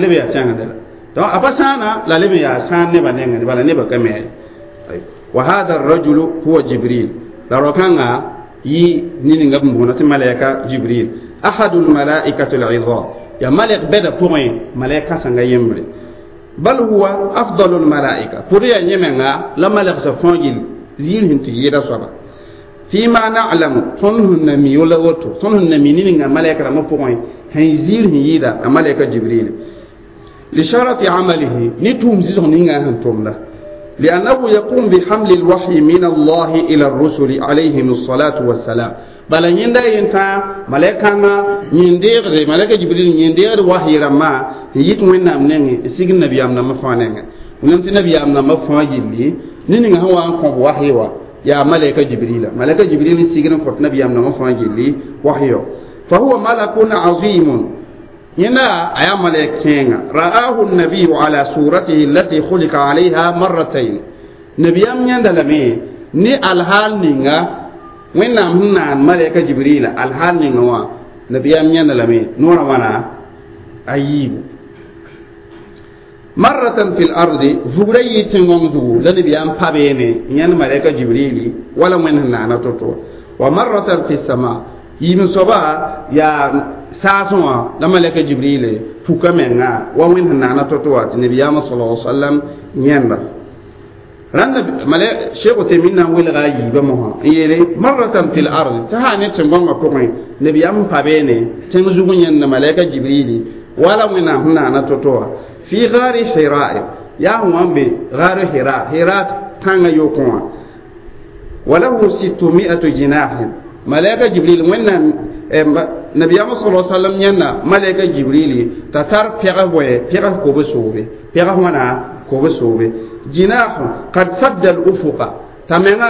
leb yaa tẽng neda donc a pa sãana la leb n yaa sãan nebã nengẽ bala nebã ka me wa hada الرجل هو جبريل la rao-kãngã yɩ niningã b boona tɩ malaika jibril أحد الملائكة العظام يا ملك بدا بوين ملائكة سانغا يمري بل هو أفضل الملائكة فريا يمنا لا ملك سفونجل زير هنتي يدا صبا فيما نعلم صنه النمي ولا وتو صنه النمي نينا ملائكة ما بوين هن زير هن يدا ملائكة جبريل لشرط عمله نتوم زيزون نينا هنتوم له لأنه يقوم بحمل الوحي من الله إلى الرسل عليهم الصلاة والسلام بل يندا ينتا ملائكة يندير ملائكة جبريل يندير وحي رما يت وين نامنين سيغ النبي امنا مفانين ونمت النبي امنا مفاجلي نين هو ان كون وحي وا يا ملائكة جبريل ملائكة جبريل سيغ كوت النبي امنا مفاجلي وحي فهو ملك عظيم هنا أيا ملائكة رآه النبي على صورته التي خلق عليها مرتين نبي أم يندلمي ني الحال نينغا وين نام ملائكة جبريل الحال نينغا نبي أم يندلمي نورا وانا أيب مرة في الأرض فغري تنغم لنبي أم بابيني ين ملائكة جبريل ولا وين نانا توتو ومرة في السماء يمن صبا يا ساسوا لما لك جبريل فوكا منغا وين نانا توتو النبي صلى الله عليه وسلم ينبا ران ملك شيخ تيمنا ويل غاي بمها يلي مرة في الأرض تهاني تنغم بوين نبي أم بابيني تنزغ ين ملك جبريل ولا وين نانا توتو في غار حراء يا هو بي غار حراء حراء تانغ يوكون وله 600 جناح ملائكة جبريل وين نبي صلى الله عليه وسلم ينا ملائكة جبريل تتر بيغه بيغه كوبسوبي بيغه وانا كوبسوبي جناح قد سد الأفق تمنا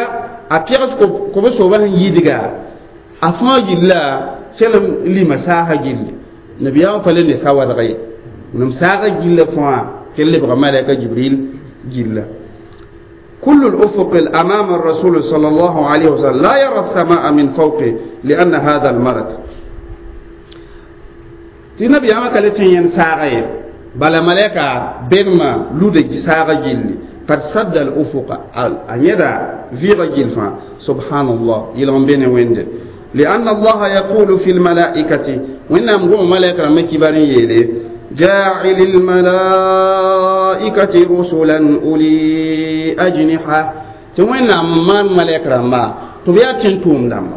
أبيغه كوبسوبي يدغا أفاج الله سلم لمساحة جل نبي فلن سوا دغي نمساحة جل فوا كل بغ ملائكة جبريل جل كل الأفق أمام الرسول صلى الله عليه وسلم لا يرى السماء من فوقه لأن هذا الملك تنبي أما كالتين ينساغي بل ملائكة بينما لودج ساغ جل قد سد الأفق أن يدع في رجل سبحان الله يلون بين ويند لأن الله يقول في الملائكة وإن أمره ملائكة مكبرين يلي جاعل الملائكة رسلا أولي أجنحة Tɩ Wẽnnaam n maan malɛk rãmba tɩ b yaa tẽn-tʋʋm dãmba.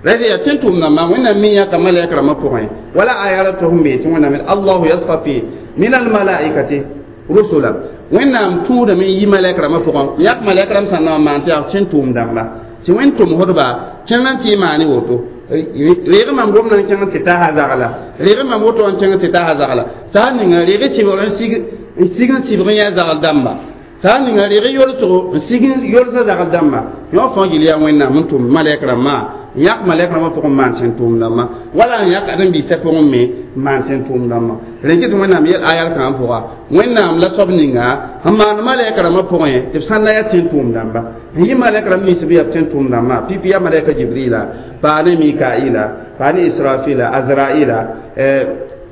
Rẽd yaa tẽn-tʋʋm dãmba, Wẽnnaam me yãka malɛk rãmbã pʋgẽ. Wala aya ra tʋg n be tɩ Wẽnnaam Allahu yasfafi min almalaikati rusula. Wẽnnaam tũudame n yi malɛk rãmbã pʋgẽ, yãk malɛk rãmb sã n na n maan tɩ yaa tẽn-tʋʋm dãmba. Tɩ Wẽnd tʋmsdba kẽng n tɩ y maane woto. Reeg mam gomdã n kẽng tɩ tasa zagla, reeg mam woto n kẽng tɩ tasa zagla. Sã n ninga reeg sɩbgr n sig n sig n sɩbg n yã zagl dãmba. Sã n ninga reeg yolsgo n sig n yolsa zagl dãmba. Yõ fãa gil yaa Wẽnnaam n tʋm malɛk rãmbã, n yãk malɛk rãmbã pʋgẽ maan tẽn-tʋʋm dãmba, wala n yãk ãdem-biisã pʋgẽ me maan tẽn-tʋʋm dãmba. Rẽ kɩ tɩ Wẽnnaam yel ayal kãngã pʋga, Wẽnnaam la soab ninga sẽn maan malɛk rãmbã pʋgẽ tɩ b sãn na yaa tẽn-tʋʋm dãmba. N yɩ malɛk rãmb nins b yaa tẽn-tʋʋm dãmbã, pipi yaa malɛka Jibrila, paa ne Mikaila, paa ne Israfila, Azraila,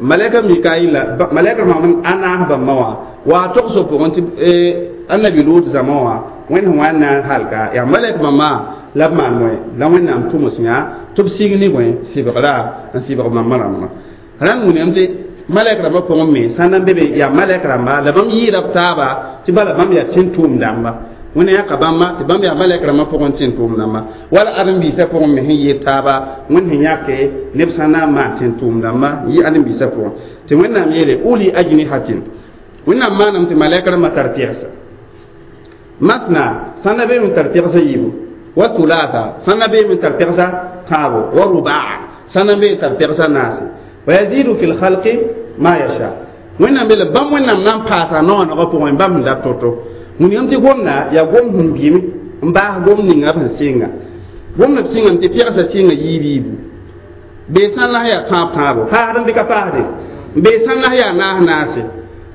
malɛka Mikaila, malɛk rãmbã a naas bãmba wã wa togso pʋgẽ tɩ annabi Lut zãma wã Wẽnd sẽn wa n na n halka yaa malɛk bãmba la b maan bõe la Wẽnnaam tʋms yã tɩ b sig ne bõe sɩbgra n sɩbg bãmba rãmbã. Rãmb wilgame tɩ malɛk rãmbã pʋgẽ me sã n na n be be yaa malɛk rãmba la bãmb yɩɩda b taaba tɩ bala bãmb yaa tẽn-tʋʋm dãmba. Wẽnd yãka bãmba tɩ bãmb yaa malɛk rãmbã pʋgẽ tẽn-tʋʋm dãmba, wala ãdem-biisã pʋgẽ me sẽn yɩɩd taaba Wẽnd sẽn yãke neb sã n na n maan tẽn-tʋʋm dãmba yɩ ãdem-biisã pʋgẽ. Tɩ Wẽnnaam yeele uli ajnihatin, Wẽnnaam maaname tɩ malɛk rãmbã tar pɛgsa masna, sã n na beeme n tar pɛgsa yiibu, wa thulatha, sã n na beeme n tar pɛgsa tãabo, wa rubaa, sã n na bee n tar pɛgsa naase. Wa yazidu fi lkhalqi ma yasha. Wẽnnaam beele bãmb Wẽnnaam na n paasa noonegã pʋgẽ bãmb sẽn dat to-to. Wilgame tɩ gomda yaa gom sẽn bɩme n baas gom ninga b sẽn sɩnga. Gomda b sɩngame tɩ pɛgsa sɩnga yiib yiibu. Bee sã n la yaa tãab tãabo, paasd n bɩ ka paasde, bee sã n la yaa naas naase.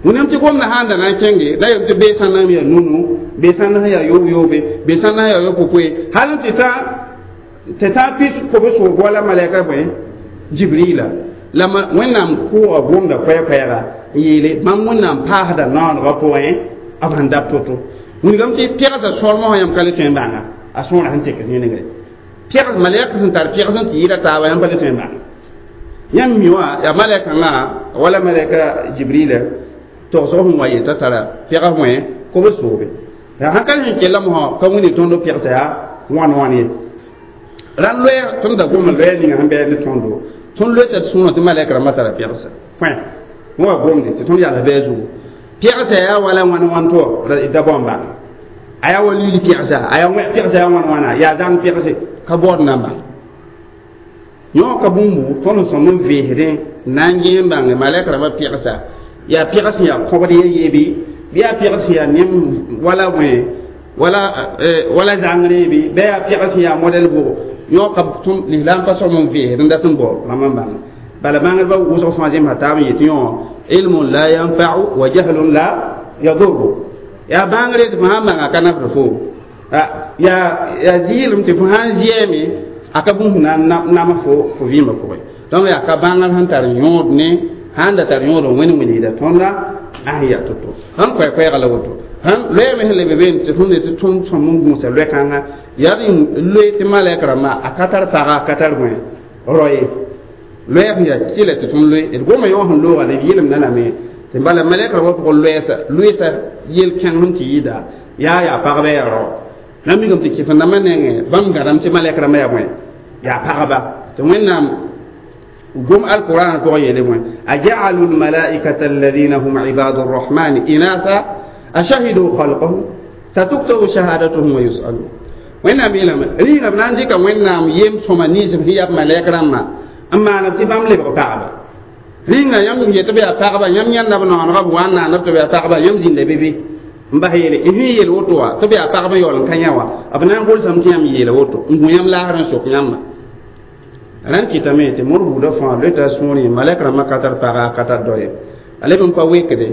Wilgame tɩ gomda sã n da na n kẽnge la yem tɩ bee sã n na yaa nunu, bee sã n la yaa yoob-yoobe, bee sã n la yaa yo-popoe, hal tɩ tã pis kob-soog wala malɛka bõe Jibrila. La Wẽnnaam kʋʋga gomda koɛɛ-koɛɛga n yeele bãmb Wẽnnaam paasda noonegã pʋgẽ b sẽn dat to-to. Wilgame tɩ pɛgsa sõrmã wã yãmb ka le tõe n bãnga a sõora sẽn tek zĩnigre. Pɛgs malɛk sẽn tar pɛgs n tɩ yɩɩda taaba yãmb pa le tõe n bãnga. Yãmb mi wã yaa malɛkãngã wala malɛka Jibrila togsg sẽn wa yetã tara pɛgs wẽ kob-soobe. Yaa sãn ka sẽn kell mosã ka wĩnd tõnd pɛgsa yaa wãn wãn ye. Rãnd loɛɛg tõnd da gom loɛɛ ninga sẽn bɛɛ ne tõndo. Tõnd loeta tɩ sũurã tɩ malɛk rãmbã tara pɛgsa kõ wa gomde tɩ tõnd yals bɛɛ zugu. Pɛgsa yaa wala wãn wãn tɩ da bao n bãng. A yaa wa liil pɛgsa, a yaa pɛgsa yaa wãn wãna, yaa zãng pɛgse ka baood na n bãng. Yõ ka bũmbu tõnd sẽn sõm n veesdẽ na n gẽe n bãnge malɛk rãmbã pɛgsa yaa pɛgs sẽn yaa kõbd ye yeebe, bɩ yaa pɛgs sẽn yaa nem wala bõe wala zãngre bɩ, bɩ yaa pɛgs sẽn yaa modɛl bʋgo. Yõ ka tõnd lislaam pa sõm n veesd n dat n bao rãmb n bãng. Bala bãngdbã wʋsg fãa zemsa taab n yetɩ yõ ilmun la yanfa'u wa jahlun la yadurru. Yaa bãngre tɩ fo sãn bãnga ka nafd fo. Yaa zɩɩlem tɩ fo sãn zɩɛɛme a ka bũmb na n nama fo fo vɩɩmã pʋgẽ. Donc yaa ka bãngr sẽn tar yõod ne sãn da tar yõod n wẽnd wilgda tõnda a sẽn yaa to-to. Sãn koɛ-koɛɛga la woto. Sãn loɛɛme sẽn lebe beene tɩ tõnd tɩ tõnd sõm n gũusa loɛ-kãngã yaa d loe tɩ malɛk rãmbã a ka tar paga, a ka tar bõe rao ye. Loɛɛg sẽn yaa kɩla tɩ tõnd loe d goma yõ sẽn looga la d yelemda lame tɩ bala malɛk rãmbã pʋgẽ loɛɛsa loeesa yel-kẽng sẽn tɩ yɩɩda yaa yaa pagba yaa rao. Na mikame tɩ kɩf-n-dãmbã nengẽ bãmb gãdame tɩ malɛk rãmbã yaa bõe yaa pagba. Tɩ Wẽnnaam gom alquran pʋgẽ yeele bõe aja'alu lmalaikata alladhina hum ibadu rrahmani inatha ashahidu khalqahum satuktabu shahadatuhum wa yusalun. Wẽnnaam yeelame rĩigã b na n dɩka Wẽnnaam yem sõma nins b sẽn yaa b malɛk rãmbã n maana tɩ bãmb lebg pagba. Rĩnga yãmb yetɩ b yaa pagba, yãmb yãnda b noonega b wa n naana tɩ b yaa pagba, yãmb zĩnda be be n bas yeele n sẽn yeel woto wã tɩ b yaa pagb n yaool n ka yã wã b na n gʋlsame tɩ yãmb yeela woto n gũ yãmb laasr n sok yãmba. Rãnd kɩtame tɩ moor buudã fãa loeta sũurẽ malɛk rãmbã ka tar paga, ka tar dao ye. A leb n pa wekde,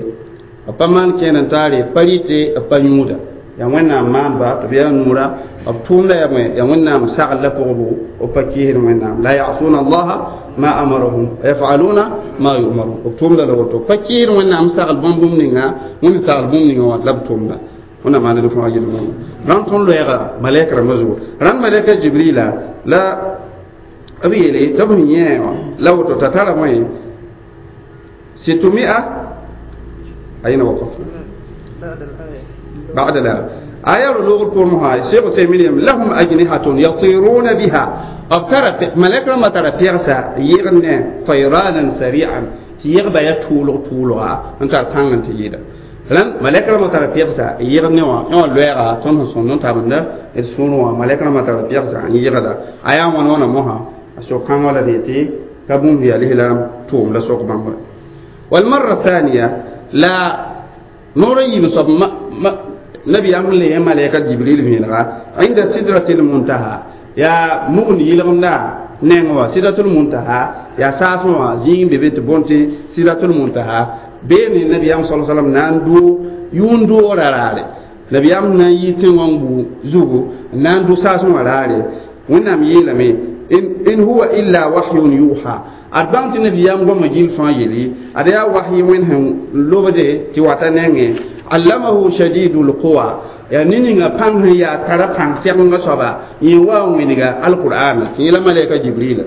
b pa maan kẽer n taare, b pa rɩte, b pa yũuda. Yaa Wẽnnaam maanba tɩ b yaa nuura, b tʋʋmda yaa bõe yaa Wẽnnaam sagl la pʋgbo, b pa keesd Wẽnnaam. La yasuna allaha ma amarahum wa yafaluna ma yumarun. B tʋʋmda la woto, pa keesd Wẽnnaam sagl bãmb bũmb ninga, Wẽnd sagl bũmb ninga wã la b tʋʋmda. Wẽnnaam maan d fãa yel-wẽnna. Rãnd tõnd loɛɛga malɛk rãmbã zugu. Rãnd malɛka Jibrila la b yeele tɩ b sẽn yẽ wã la woto t'a tara bõe situmia ayna waqafna. بعد الآية آية لغة القرآن الشيخ تيمين لهم أجنحة يطيرون بها أبترت ملك ما ترى بيرسا يغنى طيرانا سريعا تيغبا يطول طولها أنت تانغ تيجيدا لن ملك ما ترى بيرسا يغنى وا لويرا تون سونون تابندا السونوا ملك ما ترى بيرسا يغدا آية ونونا موها أشو كان ولا ديتي كبوم هي الهلام توم لا سوق بامبا والمرة الثانية لا نوري بصب ما نبي أمر لي ملائكة جبريل من عند سدرة المنتهى يا مغني لغنا نعوا سدرة المنتهى يا سافوا زين ببيت بونتي سدرة المنتهى بين النبي صلى الله عليه وسلم ناندو يوندو رارالي نبي أمر نيتين وانبو زوجو ناندو سافوا رارالي ونام يلمي إن هو إلا وحي يوحى أربعة نبي أمر مجيل فايلي أريا وحي وينهم لوبدي تيواتانين علمه شديد القوى يعني نينغا بان يا ترى بان تيغنغا صبا يوا وينغا القرآن تيلا ملائكة جبريل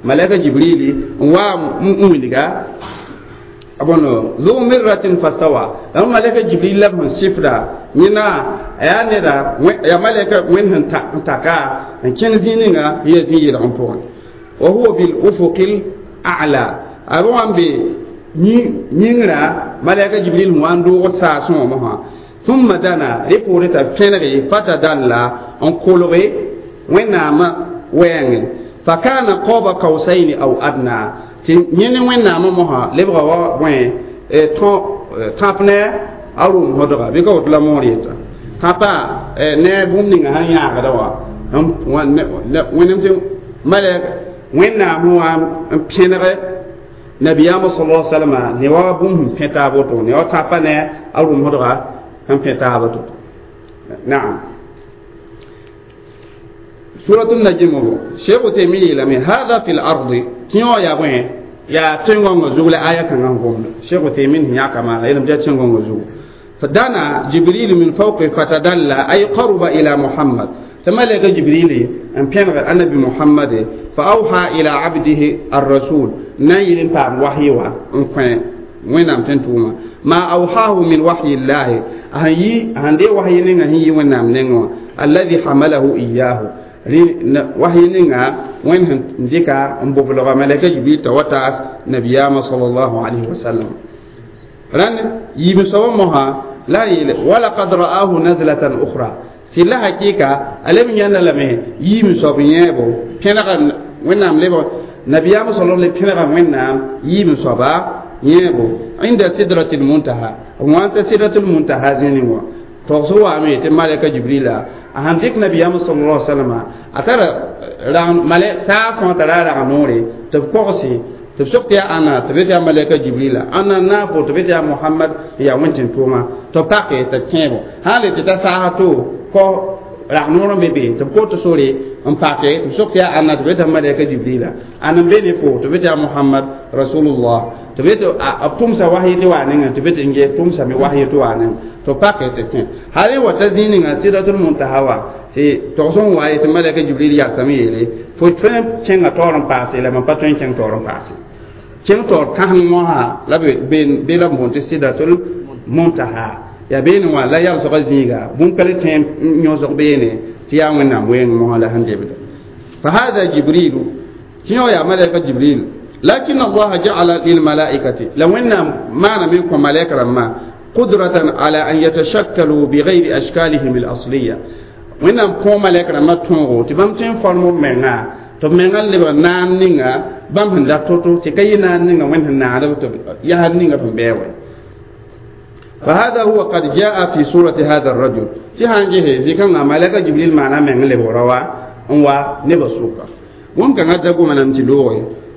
ملائكة جبريل وا وينغا أبونو ذو مرة فاستوى لما ملائكة جبريل لهم سفرا نينا يا نيرا يا ملائكة وين تاكا ان كان زينغا هي زي العنفوان وهو بالأفق الأعلى أبو عم بي نينغرا ملائكة جبريل واندو ساسون مها ثم دنا ريبورتا فينري فتدلى ان كولوري وينام وين فكان قاب قوسين او ادنى نين وينام مها لبغوا وين ترابنا اروم هدغا بيكو لا موريتا تابا نه بومنينغا هان ياغدوا هم وينم ملك وينام هو فينري نبي صلى الله عليه وسلم نوا بوم بيتا بوتو نوا تابا نه اروم هدغا هم بيتا بوتو نعم سورة النجم شيخ تيمية لمن هذا في الأرض كيو يا وين يا تنغون زول آية كان غوم شيخ تيمين يا كما يلم جا تنغون زول فدنا جبريل من فوق فتدلى أي قرب إلى محمد ثم لقى جبريل أن بينغ النبي محمد فأوحى إلى عبده الرسول نيل بام وحي وين وين أم تنتوما ما أوحاه من وحي الله أهي هندي وحي نينا هي وين أم نينا الذي حمله إياه وحي نينا وين هنديكا مبلغ ملك جبريل توتاس نبينا صلى الله عليه وسلم رن يبصمها لا يل ولقد رآه نزلة أخرى سلا حقيقة ألم ينلمه يبصمه كنا وين أم لبو نبينا صلى الله عليه وسلم وين أم يبصمه يبو عند سدرة المنتهى وانت سدرة المنتهى زينوا توصوا أمي تمالك جبريل أهندك نبينا صلى الله عليه وسلم أترى ملك ساعة ترى رغنوري تبقصي تبسقت يا أنا تبيت يا ملك جبريل أنا نافو تبيت يا محمد يا وانتن توما تبقى تتشيبو هالي تتساعتو كو رغنورا بيبي تبقى تسوري امباكي تبسقت يا أنا تبيت يا ملك جبريل أنا بيني فو تبيت يا محمد رسول الله تبيت أبتمسا وحي توانين تبيت إنجي تمسا مي وحي توانين تبقى تتشيب هالي وتزينين سيرة المنتهى تي توصون واي تملك جبريل يا سميلي فوتفهم تشين تورن باسي لما باتوين تشين تورن باسي تشين تور كان موها لا بين بلا مونت سيدة المنتهى يا بين وا لا يرزق زيغا بون كل تيم نيوزق بيني تيا وين وين موها لا هندي بدا فهذا جبريل شنو يا ملك جبريل لكن الله جعل للملائكة لو إن ما منكم ملائكة ما قدرة على أن يتشكلوا بغير أشكالهم الأصلية وإن كم ملائكة ما تونغو تبام تين فرمو منا تمنا لبا نانينغا بام هندا توتو تكاي نانينغا وين هنا يا هنينغا فمبيوي فهذا هو قد جاء في سورة هذا الرجل تهانجه في كان ملائكة جبريل معنا من لبوروا انوا نبسوكا ومكان هذا من أنتلوه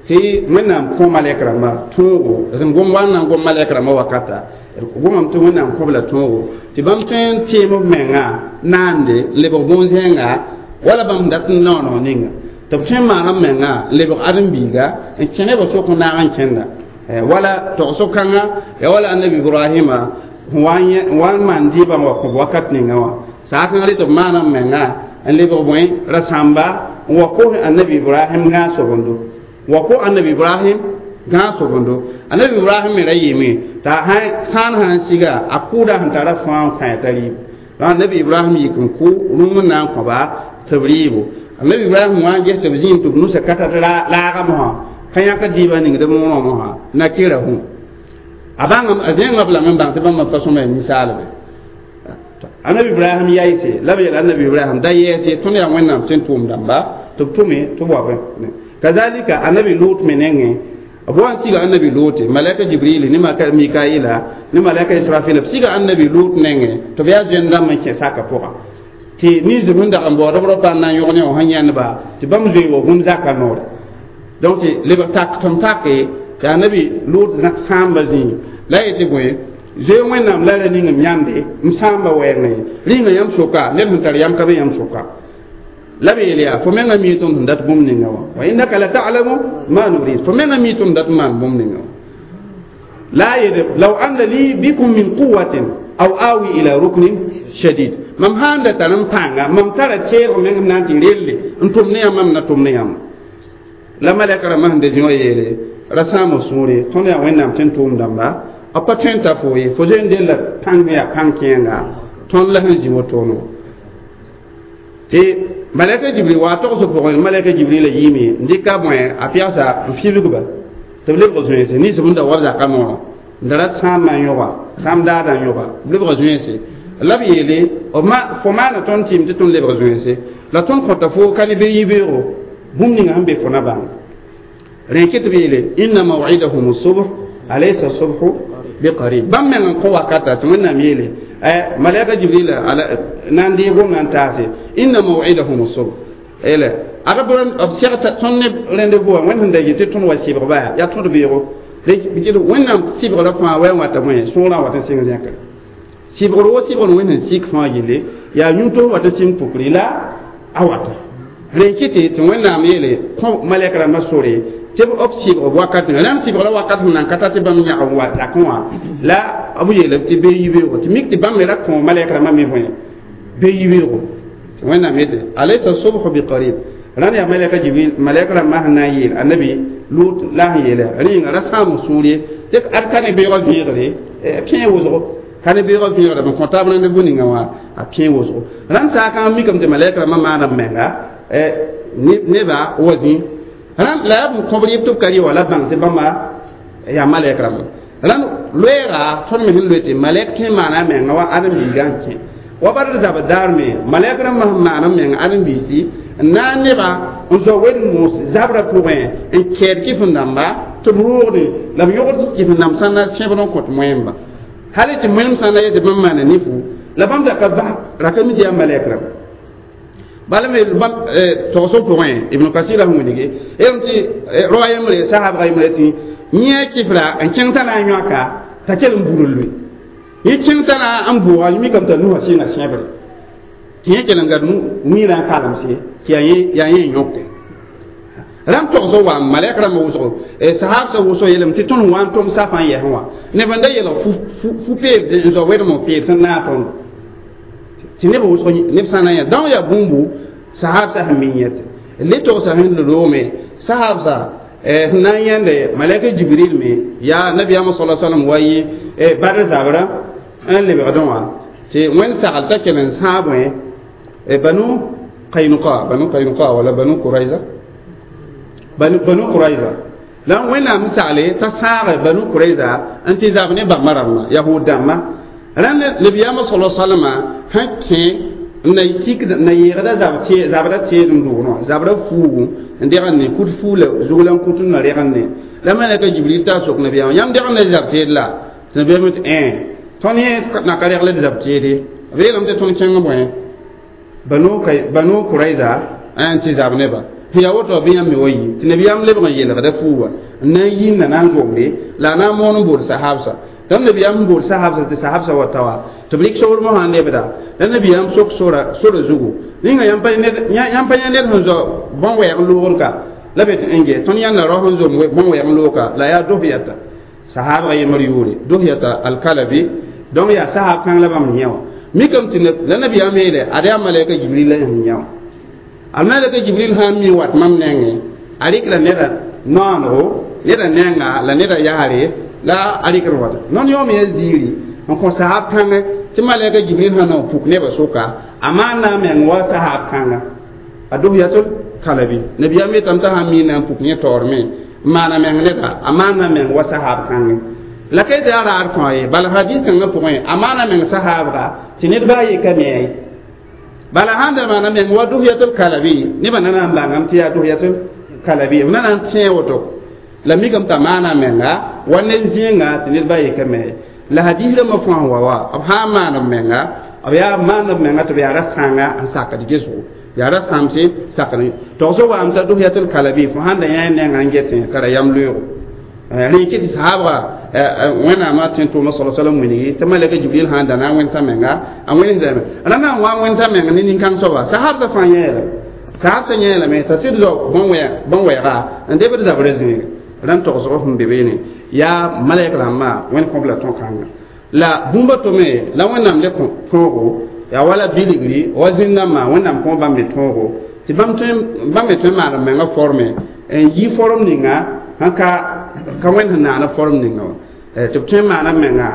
ti wẽnnaam kõ malɛk rãmbã tõogo d gom wa n na n gom malɛk rãmbã wakata gomame tɩ wẽnnaam kõb la tõogo tɩ bãmb tõe n teem b menga naande n lebg bõn-zẽnga wala bãmb dat n naooneg ninga tɩ b tõe n maan b menga n lebg ãdem-biiga n kẽne b sʋk n naag n kẽnda wala tog-so-kãngã ya wala annabi ibrahima wa n maan dɩɩbã wa kõb wakat ninga wã saakãngã rɩ tɩ b maan b menga n lebg bõe rasãmba n wa kos annabi ibrahim ngã sobendo وقو النبي إبراهيم Gã sobondo anabi Ibrahim me ra yɩɩme t'a sãan sãn siga a kʋʋda sẽn tara fãa n kõ t'a rɩɩb. Anabi Ibrahim yik n kʋ rũm n na n kõba tɩ b rɩɩbo. Anabi Ibrahim wã n ges tɩ b zĩig tɩ b nusa ka tar laagã mosã ka yãk dɩɩbã ningd b rõamosã nakirahum. A bãng a zẽngã b lame n bãng tɩ bãmba pa sõma ya ninsaalbe. Anabi Ibrahim yaɩse la b yeel anabi Ibrahim da yɛɛse tõnd yaa Wẽnnaam sẽn tʋʋm dãmba tɩ b tʋme tɩ b wa bẽ. Kazalika anabi Lut me nengẽ b wa n siga anabi Lut malɛka Jibril ne Mikaila ne malɛka Israfil b siga anabi Lut nengẽ tɩ b yaa zoen dãmb n kẽ saka pʋga tɩ ninsb sẽn dag n baood b raopa n na n yõg ne wã sẽn yãndba tɩ bãmb zoe wa gũm zaka noore. Donc tɩ lebg tak tɩm take tɩ anabi Lut sãamba zĩig la a yetɩ bõe zoe Wẽnnaam la ra ning m yãnde m sãamba wɛɛngẽ rĩnga yãmb soka ned sẽn tar yam ka be yãmb soka la b yeel yaa fo menga mi tõnd sẽn dat bũmb ninga wã wa innaka la ta'lamu ma nurid fo menga mi tõnd dat n maan bũmb ninga wã la a yeele law anna li bikum min quwatin aw awi ila ruknin shadid mam sãn da tar n pãnga mam tara teelg meng m na n tɩ relle n tʋm ne yãmb mam na tʋm ne yãmb la malɛka rãmbã sẽn da zĩ wã yeele ra sãam sũure tõnd yaa Wẽnnaam sẽn tʋʋm dãmba b pa tõe n ta fo ye fo zoe n della pãng yaa pãng kẽenga tõnd la sẽn zĩ wotone tɩ malɛka Jibril wa togs pʋgẽ malɛka Jibrila yiime n dɩka bõe a pɛgsa n fibgba tɩ b lebg zoeense ninsb n da wa b zaka noorã n da rat sãambã n yõga sãam daadã n yõga b lebg zoeense la b yeele fo maana tõnd tɩɩm tɩ tõnd lebg zoeense la tõnd kõta fo ka ne be yibeoogo bũmb ninga sẽn be fo na bãng rẽ kɩ tɩ b yeele inna maw'idahum subh alaysa subhu biqarib bãmb meng n kõ wakata tɩ Wẽnnaam yeele malɛka Jibril na n deeg gomdã n taase inna maw'idahum subh ele ada b seg tõnd ne rendez-vous wã Wẽnd sẽn da yetɩ tɩ tõnd wa sɩbgba yaa tõd beoogo Wẽnnaam sɩbgrã fãa wa n wata bõe sõorã wat n sɩng zẽkre sɩbgr wo sɩbgr Wẽnd sẽn sik fãa yelle yaa yũ-tos wat n sɩng pukri la a wata rẽ kɩtɩ tɩ Wẽnnaam yeele kõ malɛk rãmbã sore tɩ b sɩbg wakat rãmb sɩbgra wakat sẽn nan ka ta tɩ bãmb yãg n wa zakẽ wã la b yeelame tɩ bee yibeoogo tɩ mik tɩ bãmb me ra kõ malɛk rãmbã me bõe bee yibeoogo tɩ Wẽnnaam yetɩ alaysa subhu biqarib rãnd yaa malɛka Jibril malɛk rãmbã sẽn na n yeel anabi Lut la sẽn yeela rẽnga ra sãam sũur ye tɩ ad ka ne beoogã vẽegre pẽe wʋsgo ka ne beoogã vẽegre b kõ taab rendez-vous ninga wã a pẽe wʋsgo rãnd saakã mikame tɩ malɛk rãmbã maana b menga neba wa zĩ rãnd la yaa b kõb rɩɩb tɩ b ka rɩ wã la bãng tɩ bãmba yaa malɛk rãmba rãnd loɛɛga tõnd me sẽn loe tɩ malɛk tõe n maana a menga wa ãdem-biigã n kẽ wa badr zabr daar me malɛk rãmbã sẽn maan n meng ãdem-biisi n na n neba n zao wed-moos zabrã pʋgẽ n kɛɛd kɩf-n-dãmba tɩ b roogde la b yogd kɩf-n-dãmb sã na sẽbd n kõt moẽmba hal tɩ moẽm sã na yetɩ bãmb maana nifu la bãmb da ka bas raka mi tɩ yaa malɛk rãmba bala me bãmb togsg pʋgẽ Ibn Kasira sẽn wilge yelm tɩ roa yembre sahabga yembre tɩ yẽ kɩfra n kẽng t'a na n yõka t'a kell n bur n loe yẽ kẽng t'a na n bʋʋga mikame t'a nusa sɩnga sẽbre tɩ yẽ kell n gad wĩirã n kalemse tɩ yaa yẽ n yõke rãmb togsg wa malɛk rãmbã wʋsgo sahabsã wʋsg yeelame tɩ tõnd wa n tʋm safã n yɛsẽ wã neb n da yelg fu-peeb n zao wedem peeb sẽn naag tõndo tɩ neb wʋsg neb sã na n yã dão yaa bũmbu sahabsã sẽn mi yẽte le togsa sẽn loome sahabsã sẽn na n yãnde malɛka Jibril me yaa nabiyaamã sala salam wa yɩ Badr zabrã n lebgdẽ wã tɩ Wẽnd sagl t'a kell n sãag bõe Banu Kainuka Banu Kainuka wala Banu Kuraiza Banu Kuraiza la Wẽnnaam sagle t'a sãage Banu Kuraiza n tɩ zab ne bãmba rãmbã yahud dãmbã rãnd nabiyaamã sala salama sẽn kẽ n na sik na yẽegda zabra teedem dʋʋnẽ wã zabra fuugu n degn ne kut fuu la zug la n kut n na regn ne la malɛka Jibril t'a sok nabiyaamã yãmb degn na zab teed la tɩ nabiyaamã tɩ ẽ tõnd yẽ na ka regl d zab teede b yeelame tɩ tõnd kẽng bõe Banu Kuraiza n tɩ zab neba tɩ yaa woto bɩ yãmb me wa yi tɩ nabiyaam lebg n yeelgda fuu wã n na n yĩnda na n zombre la a na n moon n bood sahabsã dãmb nabiyaam n bood sahabsã tɩ sahabsã wa ta wa tɩ b rɩk sobr mosã n lebda la nabiyaam sok sora zugu ninga yãmb pa yã ned sẽn zao bõn-wɛɛg loogr ka la be tɩ n ge tõnd yãnda rao sẽn zom bõn-wɛɛg looka la yaa dohyata sahabga yembr yʋʋre dohyata alkalabi donc yaa sahab kãng la bãmb yẽ wã mikame tɩ la nabiyaam yeele ad yaa malɛka Jibril la sẽn yã wã al malɛka Jibril sã n mi wat mam nengẽ a rɩkla neda naonego neda nenga la neda yaare la a rɩkd wata non yõom ya ziiri n kõ sahab kãngã tɩ malɛka Jibril sã na n puk nebã sʋka a maana meng wa sahab kãnga a Duhyatul Kalabi nabiyaam yetame t'a sãn mi na n puk yẽ taoor me n maana meng neda a maana meng wa sahab kãngẽ la ka tɩ a raad fãa ye bala hadis kãngã pʋgẽ a maana meng sahabga tɩ ned baa ye ka me ye bala sãn da maana meng wa Duhyatul Kalabi nebã na na n bãngame tɩ yaa Duhyatul Kalabi b na na n tẽe woto la mikame t'a maana menga wa ne zĩnga tɩ ned baa ye ka me ye la hadis rãmbã fãa wa wa b sã n maan b menga b yaa maan b menga tɩ b yaa ra-sãnga n sakd gesgo yaa ra-sãmse sakd togsg waame t'a Duhyatul Kalabi fo sãn da yã nenga n getẽ ka ra yam loeego rẽ kɩ tɩ sahabga wẽnnaamã tẽ tʋʋma sala salam wilgi tɩ malɛka Jibril sãn da na n wẽnsa menga a wẽnesdame ra na n wa n wẽnsa meng ne nin-kãng soaba sahabsã fãa yẽelame sahabsã yẽelame t'a sɩd zao bõn-wɛɛga n debd zabrã zĩiga rãn togsg sẽn be beene yaa malɛk rãmbã wẽnd kõb la tõd-kãnga la bũmba tome la wẽnnaam le tõogo yaa wala bilgri wa zĩn-dãmbã wẽnnaam kõ bãmb me tõogo tɩ bãmb me tõe n maan b menga forme n yi form ninga sãn ka wẽnd sẽn naana form ninga wã tɩ b tõe n maana b menga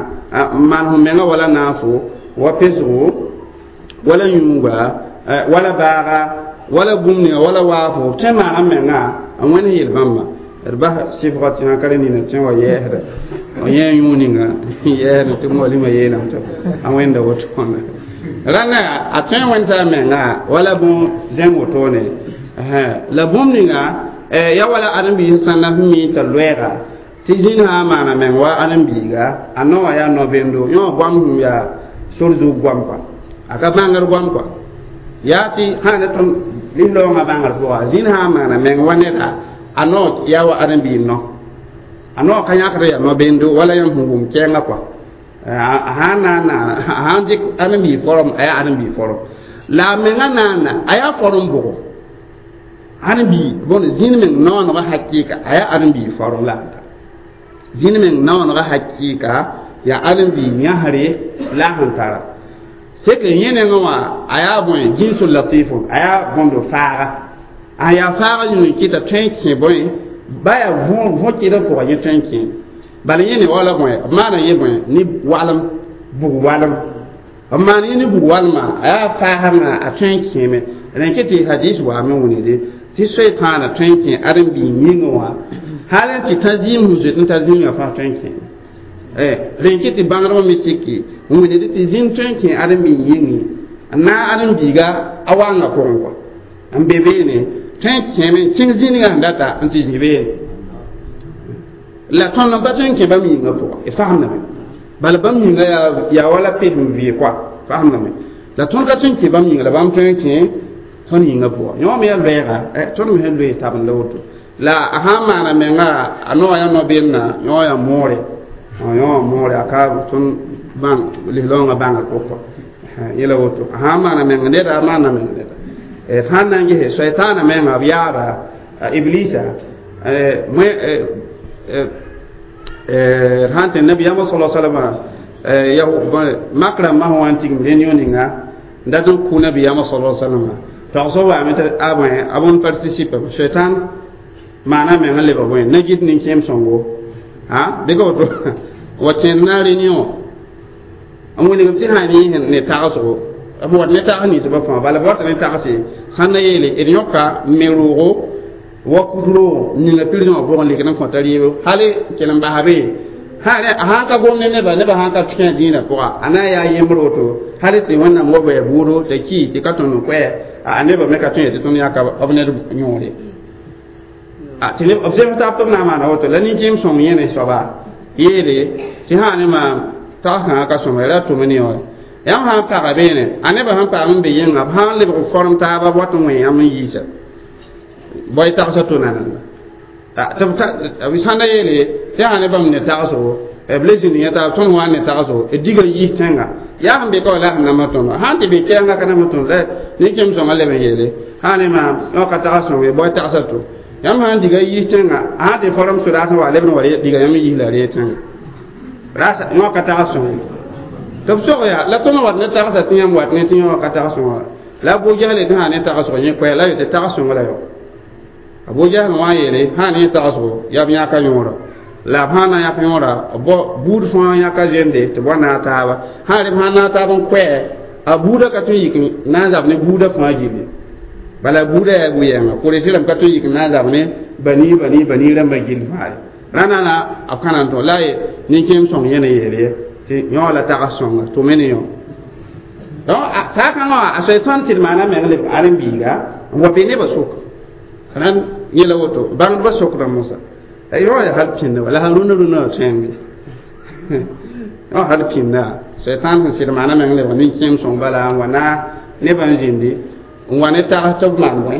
n maan f menga wala naafo wa pesgo wala yũuga wala baaga wala bũmb ninga wala waafo b tõe n maana b menga n wẽnd yel bãmba d bas sɩfga tɩ sã ka rẽ nina tẽ wa yɛɛsda yẽ yũ ninga yɛɛsd tɩ moalima yeelame tɩ a wẽnda wotone rãnda a tõe n wẽnsa a menga wala bõ zẽm wotone la bũmb ninga ya wala ãdem-biis sãn na sẽn mi t'a loɛɛga tɩ zĩn sã n maana meng wa ãdem-biiga a no wã yaa no-bendo yõ goam sẽn yaa sor zug goam kɔa a ka bãngr goam kɔa yaa tɩ sã ne tõnd lislaoongã bãngr pʋga zĩn sã n maana meng wa neda a no yaa wa ãdem-biig no a no ka yãkd yaa no-bendo wala yãmb sẽn wʋm kɛɛngã kɔa a sãn na n naana a sãn dɩk ãdem-biig form a yaa ãdem-biig form la a menga naana a yaa form bʋgo ãdem-biig bõn zĩn meng noonegã hakɩɩka a yaa ãdem-biig form la n ta zĩn meng noonegã hakɩɩka yaa ãdem-biig yãsre la a sẽn tara sek yẽ nengẽ wã a yaa bõe jinsul latifun a yaa bõndo faaga a yaa faaga yũng kɩta tõe n kẽ bõe ba yaa võ kɩdg pʋgã yẽ tõe n kẽ bala yẽ ne wala bõe b maana yẽ bõe ne walem bug walem b maan yẽ ne bug walmã a yaa faasdngã a tõe n kẽeme rẽ kɩ tɩ hadis waame wĩnde tɩ soetãana tõe n kẽ ãdem-biig yĩngẽ wã hal n tɩ tã zĩim sẽn zoet n tar zĩigã fãa tõe n kẽeme rẽ kɩ tɩ bãngdbã me siki n wĩnde tɩ zĩm tõe n kẽ ãdem-biig yĩngẽ n naag ãdem-biiga a wanga pʋgẽ kɔa n be beene tõe n kẽeme n kẽng zĩnigã sẽn data n tɩ zĩ beene la tõnd n pa tõe n kẽ bãmb yĩngã pʋga d fasemdame bala bãmb yĩngã yaa wala ped n vɩ kɔa fasemdame la tõnd ka tõe n kẽ bãmb yĩnga la bãmb tõe n kẽ tõnd yĩngã pʋga yõ me yaa loɛɛga tõnd me sẽn loe tabend la woto la a sã n maana menga a noa yaa no-bendã yõ yaa moore yõ moore a ka tõnd bãng lislaoongã bãngr pʋgẽ kɔa yẽla woto a sã n maana meng neda a maana meng neda sãn na n gese soɛtaana menga b yaaba iblisa sãn tɩ nabiyaamã sala salama mak rãmbã sẽn wa n tigim réunion ninga n dat n kʋ nabiyaamã sala salama tagsg waame tɩ a bõe a bõn participe soɛtãan maana meng n lebg bõe na-git nin-kẽem sõngo bɩ ka woto wa kẽnd na réunion n wilgm tɩ sã n ne tagsgo b wat ne tags ninsbã fãa bala b wata ne tagse sãn na yeele d yõka me roogo wa kut-roogo ninga prison wã pʋgẽ lek n kõta rɩɩbo hali kell n basa be sãn ka gom ne neba nebã sãn ka kẽ dĩinã pʋga a na n yaa yembr woto hali tɩ wẽnnaam wa baya buudo t'a ki tɩ ka tõnd n koɛ a nebã me ka tõe tɩ tõnd yãka b ned yõore tɩ b zems tab tɩ b na n maana woto la nin-kẽem sõng yẽne soaba yeele tɩ sã ne maam tags kãngã ka sõma ra tʋm ne wã yãmb sã n paga beene a nebã sẽn paam n be yẽnga b sã n lebg form taaba b wat n wẽ yãmb n yiisa boy tagsa to nananda b sãn da yeele tɩ yaa ne bãmb ne tagsgo b le zĩnd yẽ taab tõnd wã ne tagsgo d diga yis tẽnga yaa sẽn be ka wa la sẽn nama tõnd sãn tɩ be kɛɛngã ka nama tõnd la nin-kẽem sõngã leb n yeele sã ne maam yõ ka tags sõng ye boy tagsa to yãmb sãn diga yis tẽnga sãn tɩ form sodaas n wa lebd n wa diga yãmb yis la ree tẽnga rasa yõ ka tags sõng tɩ b sog yaa la tõnd wat ne tagsa tɩ yãmb wat ne tɩ yõ ka tags sõnga la a bo-gɛgle tɩ sã ne tagsg yẽ koɛ la tɩ tags sõng la yo Abu Jahl wã yeele sã ne tagsgo yaa b yãka yõora la b sã na yãk yõora b buud fãa yãka zemde tɩ b wa naag taaba sã re b sã naag taab n koɛɛ a buudã ka tõe n yik na n zab ne buudã fãa gilli bala buudã yaa bu-yɛnga Kuresi rãmb ka tõe n yik n na n zab ne bani bani bani rãmbã gill fãa ye rãna la b ka na n tõ la ye nin-kẽem sõng yẽ ne yeel ye tɩ yõ la tags sõnga tʋ me ne yõ donc saakãngã wã a soe tõnd tɩ d maana meng leb ãren-biiga n wa be nebã sʋka rãnd yẽla woto bãngdbã sokda mosa yõ yaa hal pĩnda wala sã rũnã rũnã wã tõeme yõ hal pĩnda sɛtãan sẽn sɩd maana meng lebg nin-kẽem sõng bala n wa na nebã n zĩndi n wa ne tags tɩ b maan bõe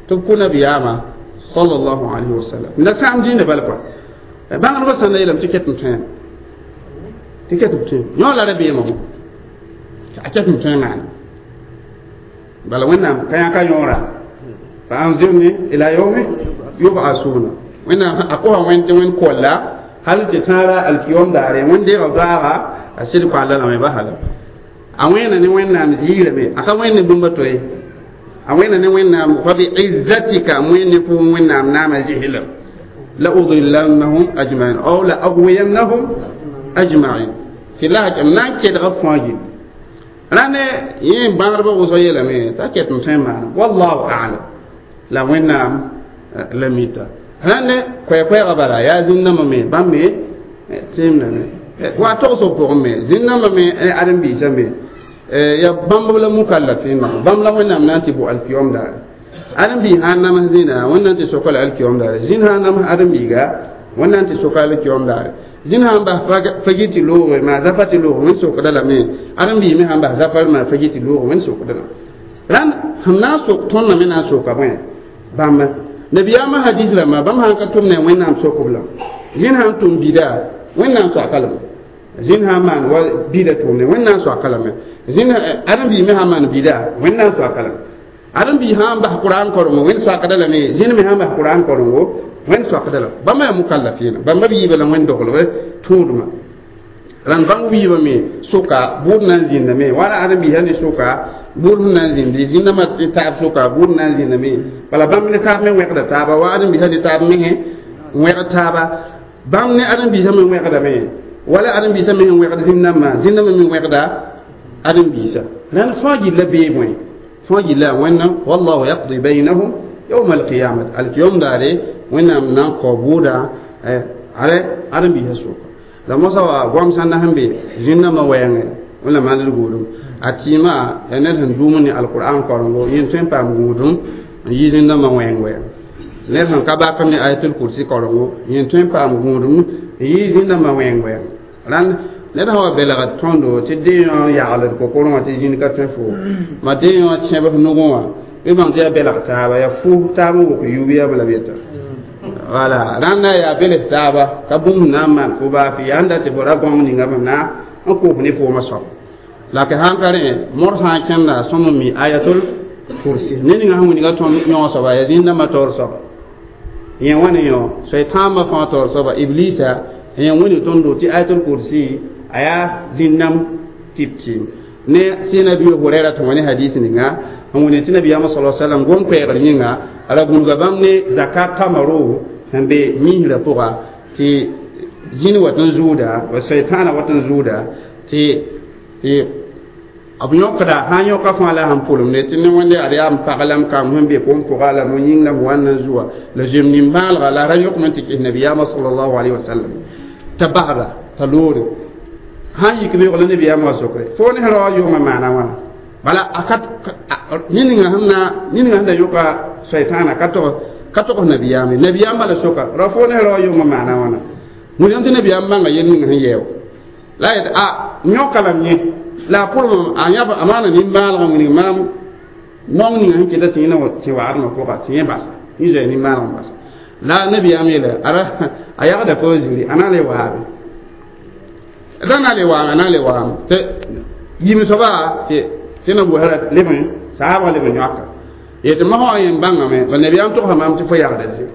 tɩ b kʋ nabiyaamã sallallahu alayhi wa sallam la sãam dĩinã bala pʋa bãngdbã sãn da yeelame tɩ ket n tõeme tɩ ket b tõeme yõ la rabeemã wã a ket n tõe maana bala wẽnnaam ka yãka yõora fa anzirni ila yawmi yub'asuna wẽnnaam a kosa wẽnd tɩ wẽnd kolla hal tɩ tãara alkiyom daare wẽnd deega doaaga a sɩd koalla lame ba hala a wẽena ne wẽnnaam ziirame a ka wẽnd ne bũmba to ye a wẽna ne wẽnnaam fa bi izzatika wẽnd ne pʋʋn wẽnnaam naama zɩslam la udillannahum ajmain aw la agwiyannahum ajmain sɩ la m na n kedga fãa gilli rãne yẽ bãgdbã wʋsg yeelame t'a ket n tõe n maana wallahu alam la wẽnnaam la mita rãne koɛɛ-koɛɛgã bala yaa zĩn-dãmbã me bãmb me tẽemdame wa togsg pʋgẽ me zĩn-dãmbã me ãren-biisã me ya bãmb la mukallafɩnã bãmb la wẽnnaam na n tɩ bʋ alkiyom daare ãren-biis sã n nams zĩna wẽnnaam tɩ soka la alkiyom daare zĩn sã n nams ãren-biiga wẽnnaam tɩ soka alkiyom daare zĩn sã n bas fagi tɩ looge maa zafa tɩ loog wẽnd sokda lame ãren-biis me sã n bas zafar maa fagi tɩ loog wẽnd sokda lame rãnd sẽn na n sok tõndã me na n soka bõe bãmba nabiyaamã hadis rãmbã bãmb sã n ka tʋm ne wẽnnaam sokb la zĩn sã n tʋm bida wẽnnaam soaka lame zĩn sã n maan wa bida tʋʋmde wẽnnaam soaka lame zĩn ãren-biis me sã n maan bida wẽnnaam soaka lame ãren-biis sã n bas qur'an korengo wẽnd soakda lame zĩn me sã n bas qur'an korengo wẽnd soakda lame bãmba yaa mukallafɩɩna bãmba b yiibã la wẽnd doglb tũudmã rãnd bãmb wiibã me sʋka bʋʋd na n zĩndame wala ãren-biisã ne sʋka bʋʋd sẽn na n zĩndi zĩndãmbã taab sʋka bʋʋd na n zĩndame bala bãmb ne taab me wẽgda taaba wa ãren-biisã ne taab mengẽ n wẽgd taaba bãmb ne ãren-biisã me wẽgdame wala ãren-biisã me sẽn wẽgd zĩn-dãmbã zĩn-dãmbã me wẽgda ãren-biisã rãnd fãa gilla bee bõe fãa gilla wẽnnaam wallahu yaqdi baynahum yawma alqiyamat alkiyom daare wẽnnaam na n kao bʋʋda are ãren-biisã sʋka la mosa wa goam sãn na sẽn be zĩn-dãmbã wɛɛngẽ wẽnna maand d gũudum a tɩɩmã yaa ned sẽn dũum ne alqur'an korengo yẽ tõe n paam gũudum n yi zĩn-dãmbã wẽng wɛɛng ned sẽn ka bak ne ayatul kursi korengo yẽ tõe n paam gũudum n yi zĩn-dãmbã wẽng wɛɛng rãnd ned sã wa belgd tõndo tɩ dee yõ yagld kokorẽ wã tɩ zĩnd ka tõe fo ma dee yõ sẽb f nugẽ wã bɩ bãng tɩ yaa belg taaba yaa fu taab n wok yub yam la b yeta wala rãnda yaa bels taaba ka bũmb na n maan fo baa fɩ yaa n dat tɩ fo ra gõng ninga b na n kos ne foomã soab la k sãn ka rẽ mor sã n kẽnda sõm n mi ayatul kursi ne ninga sẽn wilga tõnd yõ soaba yaa zĩn-dãmbã taoor soaba yẽ wã ne yõ soe-tãambã fãa taoor soaba iblisa yẽ wẽnd tõndo tɩ ayatul kursi a yaa zĩn-dãmb tɩp tɩɩm ne sɩ nabi hurɛra tɩ wã ne hadis ninga n wẽnd tɩ nabiyaamã sa sallam gom-koɛɛgr yĩnga ra gũudga bãmb ne zakat tamaro sẽn be misrã pʋga tɩ zĩn wat n zʋʋda wa soetãana wat n zʋʋda tɩ b yõkda sã n yõka fãa la sẽn pʋlemde tɩ ne wẽnde ad yaa m pag la m kam sẽn be kom pʋga la mo yĩng la m wa n na n zʋa la zoem nin-bãalga la ra yõkme tɩ kɩs nabiyaamã salallahu alayhi wa sallam t'a basda t'a loore sãn yik beoog la nabiyaamã wa sokre fo ne ra wa yʋgmã maana wãna bala a ka ninga sẽn na ninga sẽn da yõka soetãana ka togs nabiyaame nabiyaam bala soka ra fo ne ra wa yʋgmã maana wãna william tɩ nabiyaam bãnga yel ning sẽn yɛɛo la yet a yõka lame yẽ la a pʋlem a yãb a maana nin-bãalgã wilg maam naong ninga sẽn keta tɩ yẽ na tɩ waadmã pʋga tɩ yẽ basa yẽ zoe nin-bãalg n basa la nabiyaam yeela a yagda fo ziri a na le waabe da na le waame a na le waame tɩ yim soaba tɩ tɩ na buhara leb n saabã leb n yõka yetɩ mosã wã yẽn bãngame la nabiyaam togsa maam tɩ fo yagda ziri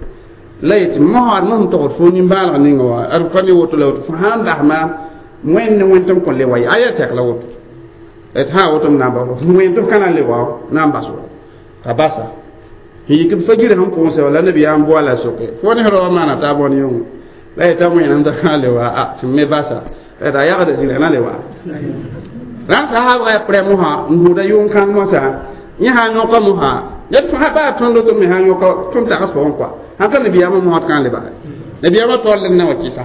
la yetɩ mosã ad mosẽn togd fo nin-bãalg ninga wã ad ka ne woto la woto fo sãn bas maam wẽnd ne wẽnd tɩ m kõn le wa ye a yaa tɛk la woto d sã woto m na n bas wẽnd tɩ f ka na n le wa na n bas wa t'a basa Yik fajir sẽn pʋʋsɛ wala nabiyaam boala soke fo ne rao maana t'a bõn yõngo la yeta wẽnam t'a kã le wa a tɩ me basa la yagda zĩna na le wa rãn sahaabga yaa prɛ mosã n gũuda yʋng-kãng mosã yẽ sã n yõka mosã ned fãa baa tõnd tɩ me sã n yõka tõnd tags pʋgẽ kɔa sãn ka nabiyaamã mosã tɩ kã le bala nabiyaamã taoor led na wa kɩsa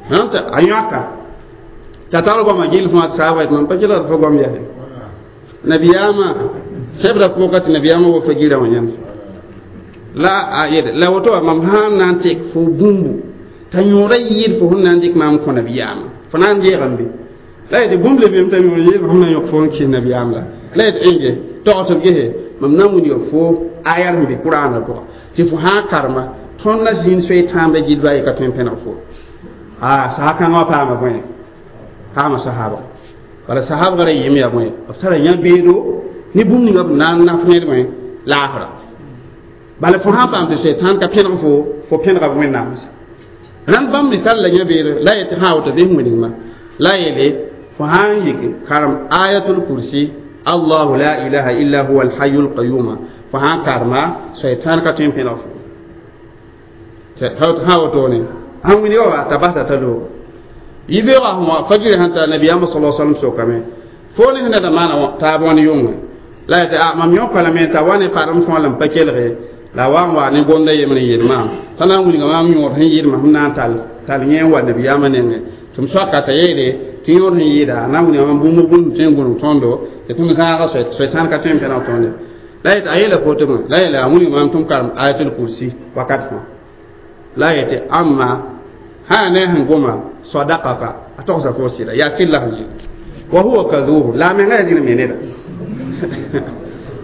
sãn tɩ a yõka t'a tar goamã gill fãa tɩ saaba yetɩ mam pa kelgd fo goam yɛse nabiyaamã sɛbda pʋga tɩ nabiyaamã wa fajirã wã yãmb la a yel la woto wa mam sãn na n tek fo bũmbu t'a yõoda yɩɩd fo sẽn na n dɩk maam kõ nabiyaamã fo na n deegame be la yetɩ bũmb le bem t'a yõor yɩɩd fo na yõk fo n kɩs nabiyaam la la yetɩ ẽnge tog tɩ b gese mam na n wilga fo ayar sẽn be kuraanã pʋga tɩ fo sã n karema tõnd na zĩnd soe tãambã gilba ye ka tõe n pẽneg fo a sasa-kãngã wã paama bõe paama sahaabga bala sahaabga ra yɩɩm yaa bõe b tara yã-beedo ne bũmb ninga b na n naf ned bõe laafra bala fo sã n paam tɩ sɛtãan ka pẽneg fo fo pẽnega wẽnnaam rãnd bãmb me tall la yã-beedo la yetɩ sã woto bɩ wilgma la yeele fo sã n yik karem ayatul kursi allahu la ilaha illa huwa alhayu lqayuma fo sã n karema sɛtãan ka tõe n pẽneg fo sã wotone sãn wilga wa t'a basa t'a loogo yibeoogã sẽn wa fajiri sẽn ta nabiyaamã sala sallam sokame fo ne sẽn da maana taab wãn yʋngẽ la yetɩ a mam yõka lame t'a wa ne padem fõa la m pa kelge la wa n wa ne gomda yembr n yeel maam t'a na n wilga maam yõod sẽn yɩɩdmã sẽn na n tall tall yẽ n wa nabiyaamã nengẽ tɩ m soaka t'a yeele tɩ yõod sẽn yɩɩda a na n wilga maam bũmb bũmb tõe n gũnug tõndo tɩ tɩ m zãaga soetãn ka tõe n pẽneg tõende la yetɩ a yeela foto la yeela a wilga maam tɩ m karem ayatul kursi wakat fãa la yetɩ ãmma sã ne sẽn goma sadaqaka a togsa fo sɩda yaa sɩd la sẽn yɩ wa huwa kadhub la a menga yaa zĩnd me neda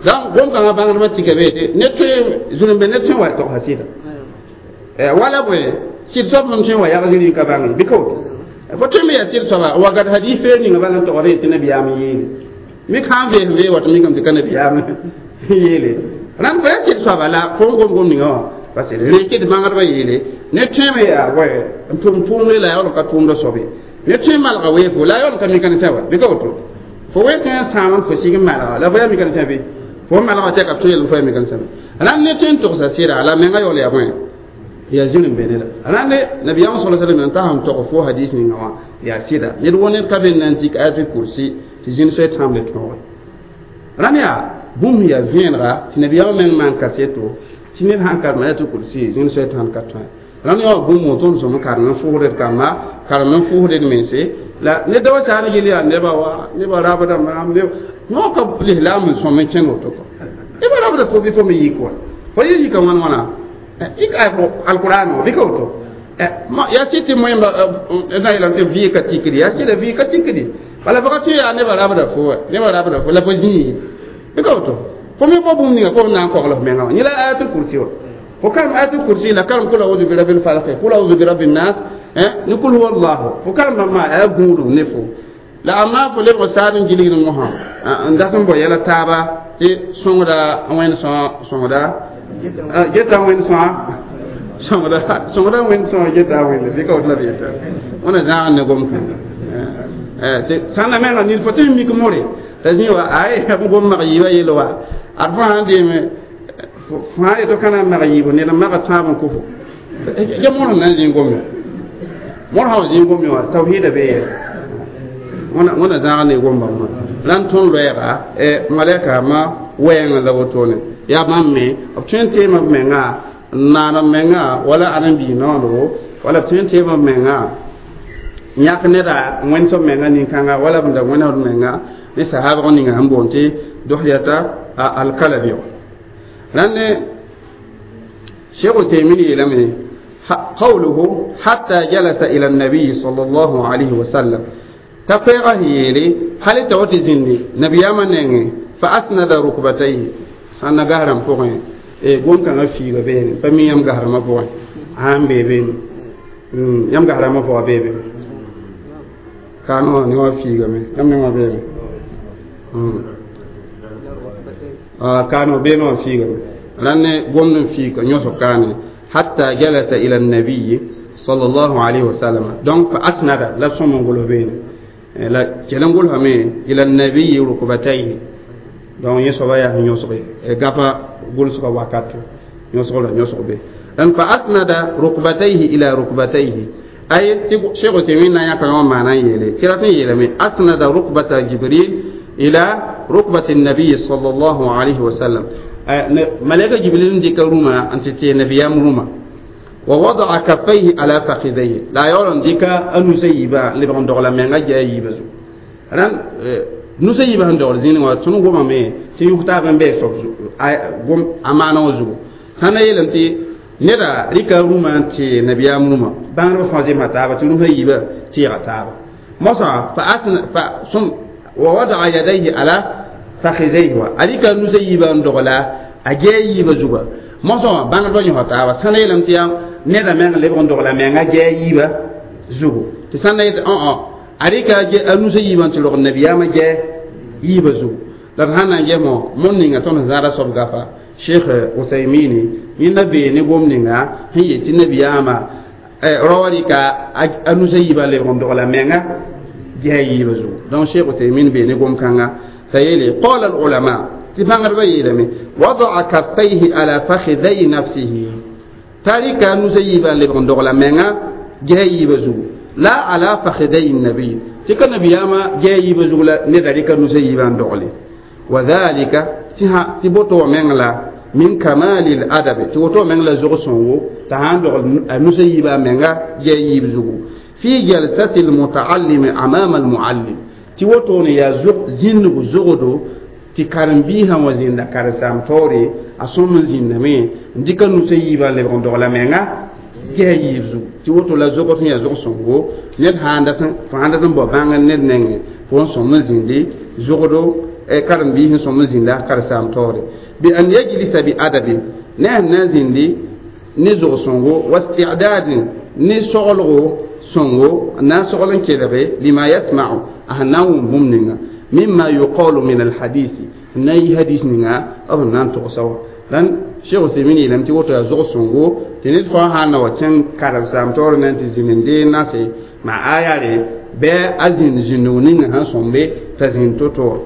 donc gom-kãngã bãngdbã tika be tɩ ned tõe zulum be ned tõe n wa togsa sɩda wala bõe sɩd soab sẽn tõe n wa yag zĩri ka bãnge bɩ ka woto fo tõe me yaa sɩd soaba wakat hadis feer ninga bala n togd tɩ nabiyaam yeele mik sã n vees vee wat mikame tɩ ka nabiyaam yeele rãnd fo yaa sɩd soaba la fo n gom gom ninga wã parce que reke tɩ bãngdbã yeele ned tõeme yaa bõe n tʋm tʋʋmre la yaool n ka tʋʋmda soabe ned tõe n malga weefo la yaool n ka mika-ne-sã wa bɩ ka woto fo wees tõe n sãam n fo sig n malga la fo yaa mika-ne-sã bɩ fo malga tɩ ka tõe yel fo yaa mika-ne-sã rãnd ned tõe n togsa sɩda la menga yaool yaa bõe yaa zĩr n be ne la rãnd nabiyaam sala sallam n ta sẽn tog fo hadis ninga wã yaa sɩda ned wo ned ka be n na n tik ayatul kursi tɩ zĩnd soe tãmb le tõoge rãnd yaa bũmb yaa vẽenega tɩ nabiyaamã meng maan kaseto tɩ ned sãn karem ayatul kursi zĩnd soe tãnd ka tõe rãnd yaa bũmb tõnd sõm karem n fʋʋsd kamba karem n fʋʋsd mense la ned da wa saar yel yaa nebã wa nebã rabda maam yõ ka lislaam n sõm n kẽng woto kɔ nebã rabda fo bɩ fo me yik wa fo yɩ yika wãn wãna yik alquran wa bɩ ka woto yaa sɩd tɩ moẽmba na yeelame tɩ vɩɩ ka tikdi yaa sɩda vɩɩ ka tikdi bala fo ka tõe yaa nebã rabda fo wa nebã rabda fo la fo zĩig bɩ ka woto fo me bao bũmb ninga fo b na n kogl f menga wã yẽ la ayatul kursi wa fo karem ayatul kursi la karem kul audu birabil falq kul audu birabbin nas ni kul huwa allah fo karem bãmba yaa gũudum ne fo la amma fo lebg saad n gilgd mosã n dat n bao yɛla taaba tɩ sõngda wẽnd sõa sõngda geta wẽnd sõa sõngda sõngda wẽnd sõa geta wẽnde bɩ ka woto la b yeta wẽna zãag ne gom kã tɩ sãnda menga nid fo tɩ mik more t'a zĩ wa ay b gom mag yiibã yel wa ad fo sãn deeme fo sã yeto ka na n mag yiibo ned n maga tãab n kʋfo ya mõr sẽn na n zĩig gome mõr sã wa zĩig gome wã tawhiida bee yɛla wẽna zãag ne gom bãmba rãnd tõnd loɛɛga malɛka ma wɛɛngã la wotone yaa bãmb me b tõe n teema b menga n naan b menga wala ãdem-biig noondgo wala b tõe n teema b menga n yãk neda wẽnd soab menga nin-kãnga wala b da wẽned menga ne sahabg ninga sẽn boond tɩ dohyata alkalabi rãnd ne cheikh utaymin yeelame قوله حتى جلس إلى النبي صلى الله عليه وسلم تفيغه يلي هل توتي زني نبي ياما فأسند ركبتيه سنة غهرم فوقين e gon kãngã fiiga beene pa mi yãmb gasrãmbã pʋgẽ sãn bee beene yãmb gasrãmbã pʋgã bee be kaano wã ne wã fiigame yãmb ne wã beeme kaano beene wã fiigame rãnd ne gomd n fiika yõsg kaane hatta jalasa ila nabiyi sallallahu alayhi wa sallam donc fa asnada la sõm n gʋls beene la kell n gʋlsame ila nabiyi rukbatayhi Donc yẽ soaba yaa sẽn yõsge gapa gʋlsgã wakat yõsg la yõsg be dan fa asnada rukbatayhi ila rukbatayhi ay tɩ Cheikh Uthaymin na n yãka yõ maana n yeele tɩ rat n yeelame asnada rukbata Jibril ila rukbati nabiy sallallahu alayhi wa sallam malaika Jibril n dɩka rũmã n tɩ tee nabiyaam rũmã wa wada'a kaffayhi ala fakhidayhi la a yaool n dɩka a nusa yiibã n lebg n dogla menga gɛa yiibã zugu rãnd nusa yiibã sẽn dogl zĩnig wã tõnd gomame tɩ yʋg taab n bɩ soab a maana wã zugu sã na yeelame tɩ neda rɩka rũmã n tee nabiyaam rũmã bãngdbã fãa zemsa taaba tɩ rũmsã yiibã tɩɩga taaba mosã fa asna fa sum wa wada'a yadayhi ala fakhidayhi wa a rɩka nusa yiibã n dogla a gɛa yiibã zuga mosã wã bãngdbã yõsa taaba sã na yeelame tɩ yaa neda meng lebg n dogla menga gɛa yiibã zugu tɩ sã na yetɩ a rɩka a nusa yiibã n tɩ rog nabiyaamã gɛa yiibã zugu la d sãn na n ges mo ninga tõnd zãada soab gafa Cheikh Uthaymini yẽnda bee ne gom ninga sẽn yet tɩ nabiyaamã raoã rɩka a nusa yiibã lebg n dogla menga gɛa yiibã zugu donc Cheikh Uthaymin bee ne gom-kãnga t'a yeele qala al ulama tɩ bãngdbã yeelame wada'a kaffayhi ala fakhidai nafsihi t'a rɩka a nusa yiibã n lebg n dogla menga gɛa yiibã zugu la ala fakhidai nabiy tɩ ka nabiyaamã gɛa yiibã zug la neda rɩka nusa yiibã n dogle wa dhalika tɩ boto wã meng la min kamali al-adabi tɩ woto meng la zog sõngo t'a sãn dogl a nusa yiibã menga gɛa yiib zugu fi jalsati al-mutaallimi amama al-muallim tɩ wotone yaa zĩndg zogdo tɩ karen-biisã wã zĩnda karen-saam taoore a sõm n zĩndame n dɩka nusa yiibã lebg n dogla menga gɛa yiib zugu tɩ woto la zogd sẽn yaa zog sõngo ned sãn dat n bao bãngr ned nengẽ fo n sõm n zĩndi zogdo karen-biis sẽn sõm n zĩnda karen-saam taoore bi an yajlisa bi adabin ne a na n zĩndi ne zog sõngo wa isti'dadin ne soglgo sõngo n na n sogl n kelge lima yasma'u a sẽn na n wʋm bũmb ninga mimma yuqalu min alhadisi n na n yi hadis ninga b sẽn na n togsa wã rãnd Cheikh Uthaymin yeelame tɩ woto yaa zog sõngo tɩ ned fãa sãn na wa kẽng karen-saam taoor na n tɩ zĩnd n dee nase maa aya re bɩ a zĩnd zĩndg ninga sẽn sõmbe t'a zĩnd to-to wã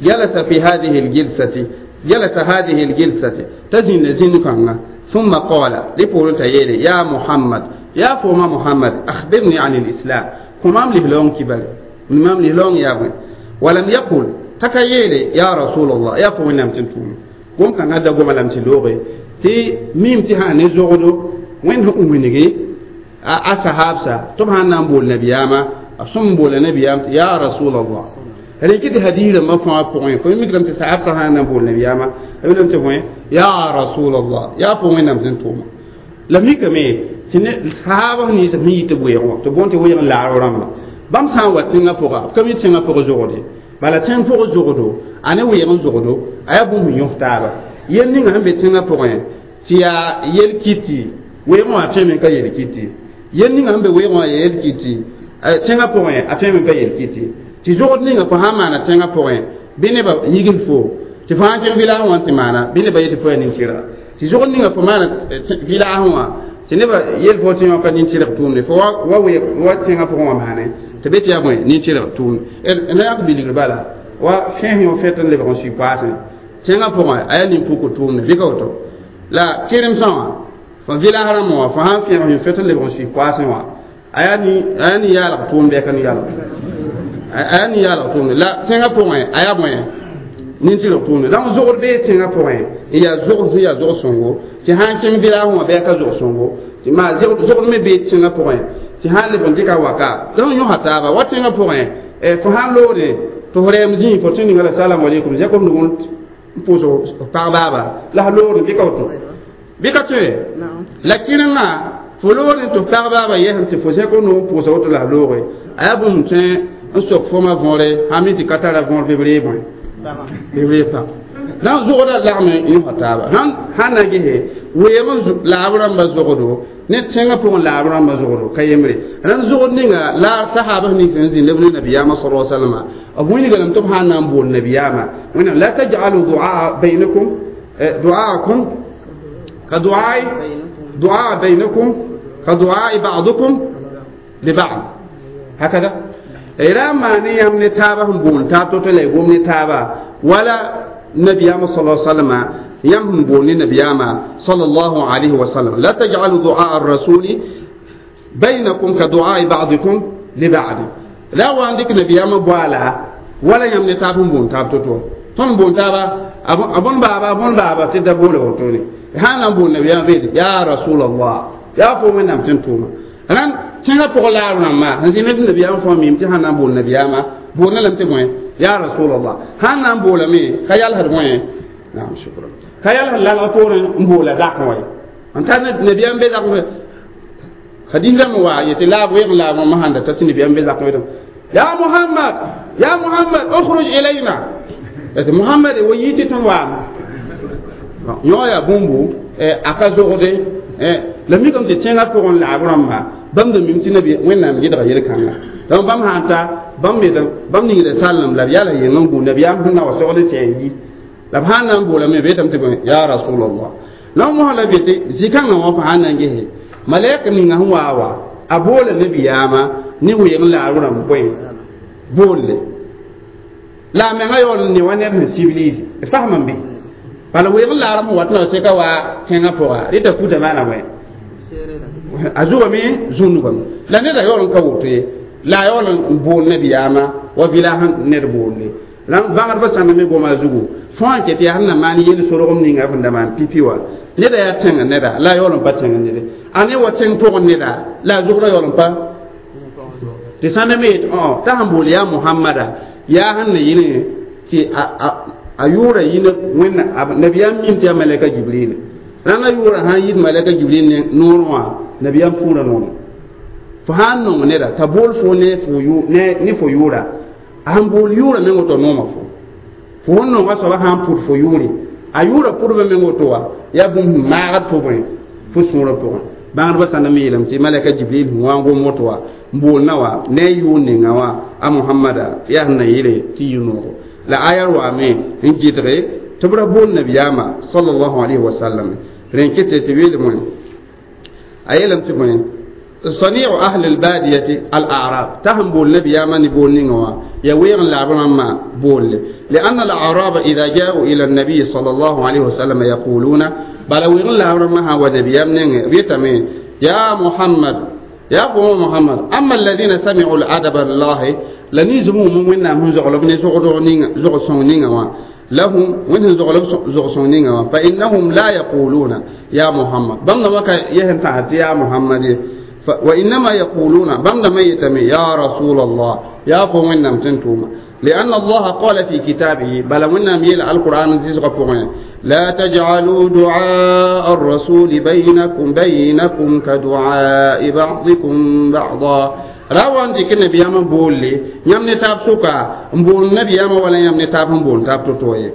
جلس في هذه الجلسة جلس هذه الجلسة تزن زن كanga ثم قال لبول تيلي يا محمد يا فوما محمد أخبرني عن الإسلام كمام لهلون كبر مام لهلون يا بني ولم يقل تكيلي يا رسول الله يا فوما لم تنتم قوم كان هذا قوم لم تلوغي تي ميم تها نزغدو وين هو منيجي أصحابسا طبعا نقول نبياما أصم بول نبيام يا رسول الله rɩk tɩ hadiisrãmbã fãa pʋgẽ fo mikrame tɩ saab sã sã n na n bool nabiyaamã b lame tɩ bõe ya rasulallah yaa fo wẽnnaam sẽn tʋʋma la mikame tɩ saabs nins sẽn yɩ tɩ weoog wã tɩ bõn tɩ weeg n laar rãmba bãmb sã n wa tẽngã pʋga b ka mi tẽngã pʋg zogde bala tẽng pʋg zogdo a ne weeg n zogdo a yaa bũmb yõs taaba yel ninga sẽn be tẽngã pʋgẽ tɩ yaa yel kɩtɩ weoogẽ wã tõeme n ka yel kɩtɩ yel ninga sẽn be weoogẽ wã yaa yel kɩtɩ tẽngã pʋgẽ a tõeme n ka yel kɩtɩ tɩ zogd ninga fo sãn maana tẽngã pʋgẽ bɩ nebã yigl fo tɩ fo sãn kẽng vɩlaasẽ wã tɩ maana bɩ nebã yetɩ fo yaa nin-tɩrga tɩ zogd ninga fo maana vɩlaasẽ wã tɩ nebã yel fo tɩ yõ ka nin-tɩrg tʋʋmde fo wa wa tẽngã pʋgẽ wã maane tɩ be tɩ yaa bõe nin-tɩrg tʋʋmde na yak bilgr bala wa fẽes yõ fẽt n lebg n sui paasẽ tẽngã pʋgẽ a yaa nin-puk tʋʋmde bɩ ka woto la kɩremsã wã fo vɩlaas rãmbã wã fo sãn fẽes yõ fẽt n lebg n sui paasẽ wã a yaa nin-yaalg tʋʋm bɩ ka nin-yaalg a ni yaalg tʋʋmde la tẽngã pʋgẽ a yaa bõe nin-tɩrg tʋʋmde donc zogd bee tẽngã pʋgẽ n yaa zogd sẽn yaa zog sõngo tɩ sãn kẽng vɩlaasẽ wã bɩ a ka zog sõngo tɩ maa zogd me bee tẽngã pʋgẽ tɩ sãn leb n dɩka waka donc yõsa taaba wa tẽngã pʋgẽ fo sãn loode tɩ fo rɛɛm zĩig fo tẽ ninga la salamu aleykum zẽk f nug n pʋʋs f pag baaba la f loodẽ bɩ ka woto bɩ ka tõe la kɩrengã fo loodẽ tɩ f pag baaba yɛsem tɩ fo zẽk f nug n pʋʋsa woto la f looge a yaa bũmb tõe n sok foma võore sãn mi tɩ ka tara võor bɩ b ree bõe bɩ b ree pag donc zogda lagm n yõsa taaba sãn na gese weem n laab rãmbã zogdo ne tẽngã pʋgẽ laab rãmbã zogdo ka yembre rãnd zogd ninga la sahaabs nins n zĩnd b ne nabiyaamã sala salama b wilga lame tɩ b sãn na n bool nabiyaamã wẽnnaam la taj'alu duaa bainakum duaakum ka duaai duaa bainakum ka duaai ba'dukum li ba'd hakada ra maan yãmb ne taabã sẽn boond taab to-to la y gom ne taaba Wala nabiyaama sala sallama yãmb sẽn bool ne nabiyaama sallallahu alayhi wa sallam la taj'alu du'a ar-rasuli bainakum ka du'a ba'dikum li ba'd la wa n dɩk nabiyaamã boaala wala yãmb ne taab n boon taab to-to tõnd boon taaba a bõn baaba a bõn baaba tɩ da boola wotone sã na n bool nabiyaamã beede ya rasulallah yaa fo wẽnnaam tɩ n tʋʋma rãnd tẽngã pʋgã laar rãmbã sẽn zĩ ne tɩ nabiyaamã fõa mim tɩ sãn na n bool nabiyaamã boolna lame tɩ bõe ya rasulallah sãn na n boolame ka yalsd bõe naam shukran ka yalsd lalg poorẽ n boola zakẽ wa ye n tar nabiyaam be zakẽ hadis rãmb wa yetɩ laab weeg laab wã sãn da ta tɩ nabiyaam be zakẽ wetame ya muhammad ya muhammad ukhruj ilayna tɩ muhammad wa yɩ tɩ tõnd waame yõ yaa bũmbu a ka zogde la mikame tɩ tẽngã pʋgẽ laab rãmba bãmb da mim tɩ nabi wẽnnaam gɩdga yel-kãnga donc bãmb sã n ta bãmb me bãmb ningda sallem la b yala yeng n gũ nabiyaam sẽn na wa sogd tɩ n yi la b sãn na n boolame beetame tɩ bõe ya rasulallah la mosã la be tɩ zĩ-kãngã wã fo sãn na n gese malɛk ninga sẽn waa wa a boola nabiyaamã ne weeg n laag rãmb bõe boolle la a menga yaool ne wa ned sẽn civilise fasm n be bala weeg n laarem sẽn wat na seka wa tẽngã pʋga rɩta futa maana bõe a zugame zũnugame la neda yaool n ka woto ye la a yaool n bool nabiyaamã wa vɩla sẽn ned boolle bãgdbã sãnda me goma zugu fõa n ket yaa sẽn na maan yel sorgem ninga sẽn da maan pipi wã neda yaa tẽngã neda la a yaool n pa tẽngã nede a ne wa tẽng pʋgẽ neda la a zʋgrã yaool n pa tɩ sãnda me yet t'a sẽn bool yaa mohamada yaa sẽn na yɩlẽ tɩ a yʋʋra yĩna wẽnna nabiyaam mim tɩ yaa malɛka jibril rãnda yʋʋra sãn yit malɛka jibril ne noorẽ wã nabiyaam fũurã nono fo sã n nong neda t'a bool fo ne fo yʋʋra a sẽn bool yʋʋra meng woto nooma fo fo sẽn nonga soaba sã n pʋd fo yʋʋre a yʋʋra pʋdbã meng woto wa yaa bũmb sẽn maagd fo bõe fo sũurã pʋgẽ bãngdbã sãn na me yeelame tɩ malɛka jibril sẽn wa n gom woto wa n boolna wa ne a yʋʋr ninga wã a mohamada yaa sẽn na yɩle tɩ yɩ noogo la aya waame n gɩdge tɩ b ra bool nabiyaamã sallallahu alayhi wa sallam rẽn kɩtɩ tɩ weelem wẽ a yeelame tɩ bõe صنيع أهل البادية الأعراب تهم بول نبي يامن بول نينوا يوير العرب بول لأن الأعراب إذا جاءوا إلى النبي صلى الله عليه وسلم يقولون بل وير العرب ونبي يامن بيتمي يا محمد يا قوم محمد أما الذين سمعوا الأدب الله لنزموا من من زغلب زغصونين لهم وين زغلب زغصونين فإنهم لا يقولون يا محمد بمنا وكا يهم تحت يا محمد وإنما يقولون بمنا ميتمي يا رسول الله يا قوم نمتنتم لأن الله قال في كتابه بل ونم يل القرآن زيزغ لا تجعلوا دعاء الرسول بينكم كدعاء بعضكم بعضا روان ديك النبي ياما بولي يام نتاب سوكا بول النبي ياما ولا يام نتاب بول تاب توتوي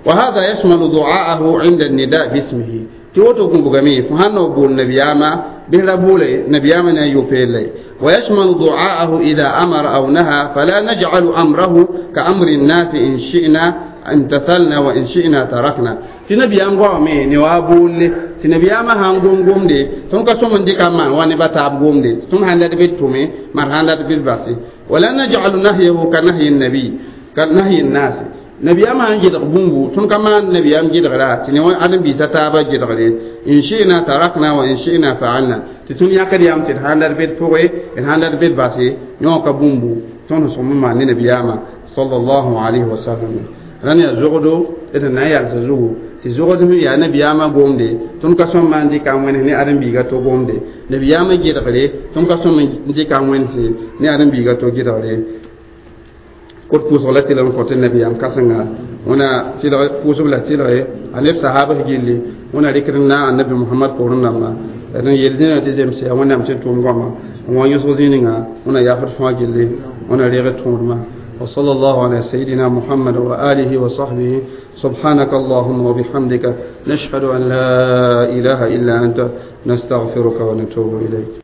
وهذا يشمل دعاءه عند النداء باسمه تيوتو كومبغامي فهانو بول النبي ياما بلا بولي نبي ياما يوفيلي ويشمل دعاءه إذا أمر أو نهى فلا نجعل أمره كأمر الناس إن شئنا امتثلنا وإن شئنا تركنا تنبي يام غومي نوا بولي تنبي يام هان غوم غوم دي تون كسوم دي كمان واني بتاب غوم دي تون هاندات بيت تومي مار هاندات بيت باسي ولا نجعل نهيه كنهي النبي كنهي الناس نبي يام هان جد بومبو تون كمان نبي يام جد غلا تنوا أدم بيسا تابا جد غلي إن شئنا تركنا وإن شئنا فعلنا تتون ياكد يام تن هاندات بيت فوي إن هاندات بيت باسي يوكا بومبو تون سوم ما نبي يام صلى الله عليه وسلم rãnd yaa zogdo d na n yalsa zugu tɩ zogd sẽn yaa nabiyaamã gomde tõnd ka sõm maan dɩka n wẽns ne ãdem-biiga to gomde nabiyaamã gɩdgre tõnd ka sõm n dɩka n wẽnse ne ãdem-biiga to gɩdgre kot pʋʋsg la tɩlg n kõ tɩ nabiyaam kãsenga wẽna tɩlg pʋʋsb la tɩlge a neb sahabs gilli wẽna rɩkd n na annabi mohamad poorẽ dãmba d n yel zĩnã tɩ zems yaa wẽnnaam tɩ tʋʋm goama n wa yõsg zĩ-ninga wẽna yaafd fãa gilli wẽna reeg tõodmã وصلى الله على سيدنا محمد وآله وصحبه سبحانك اللهم وبحمدك نشهد أن لا إله إلا أنت نستغفرك ونتوب إليك.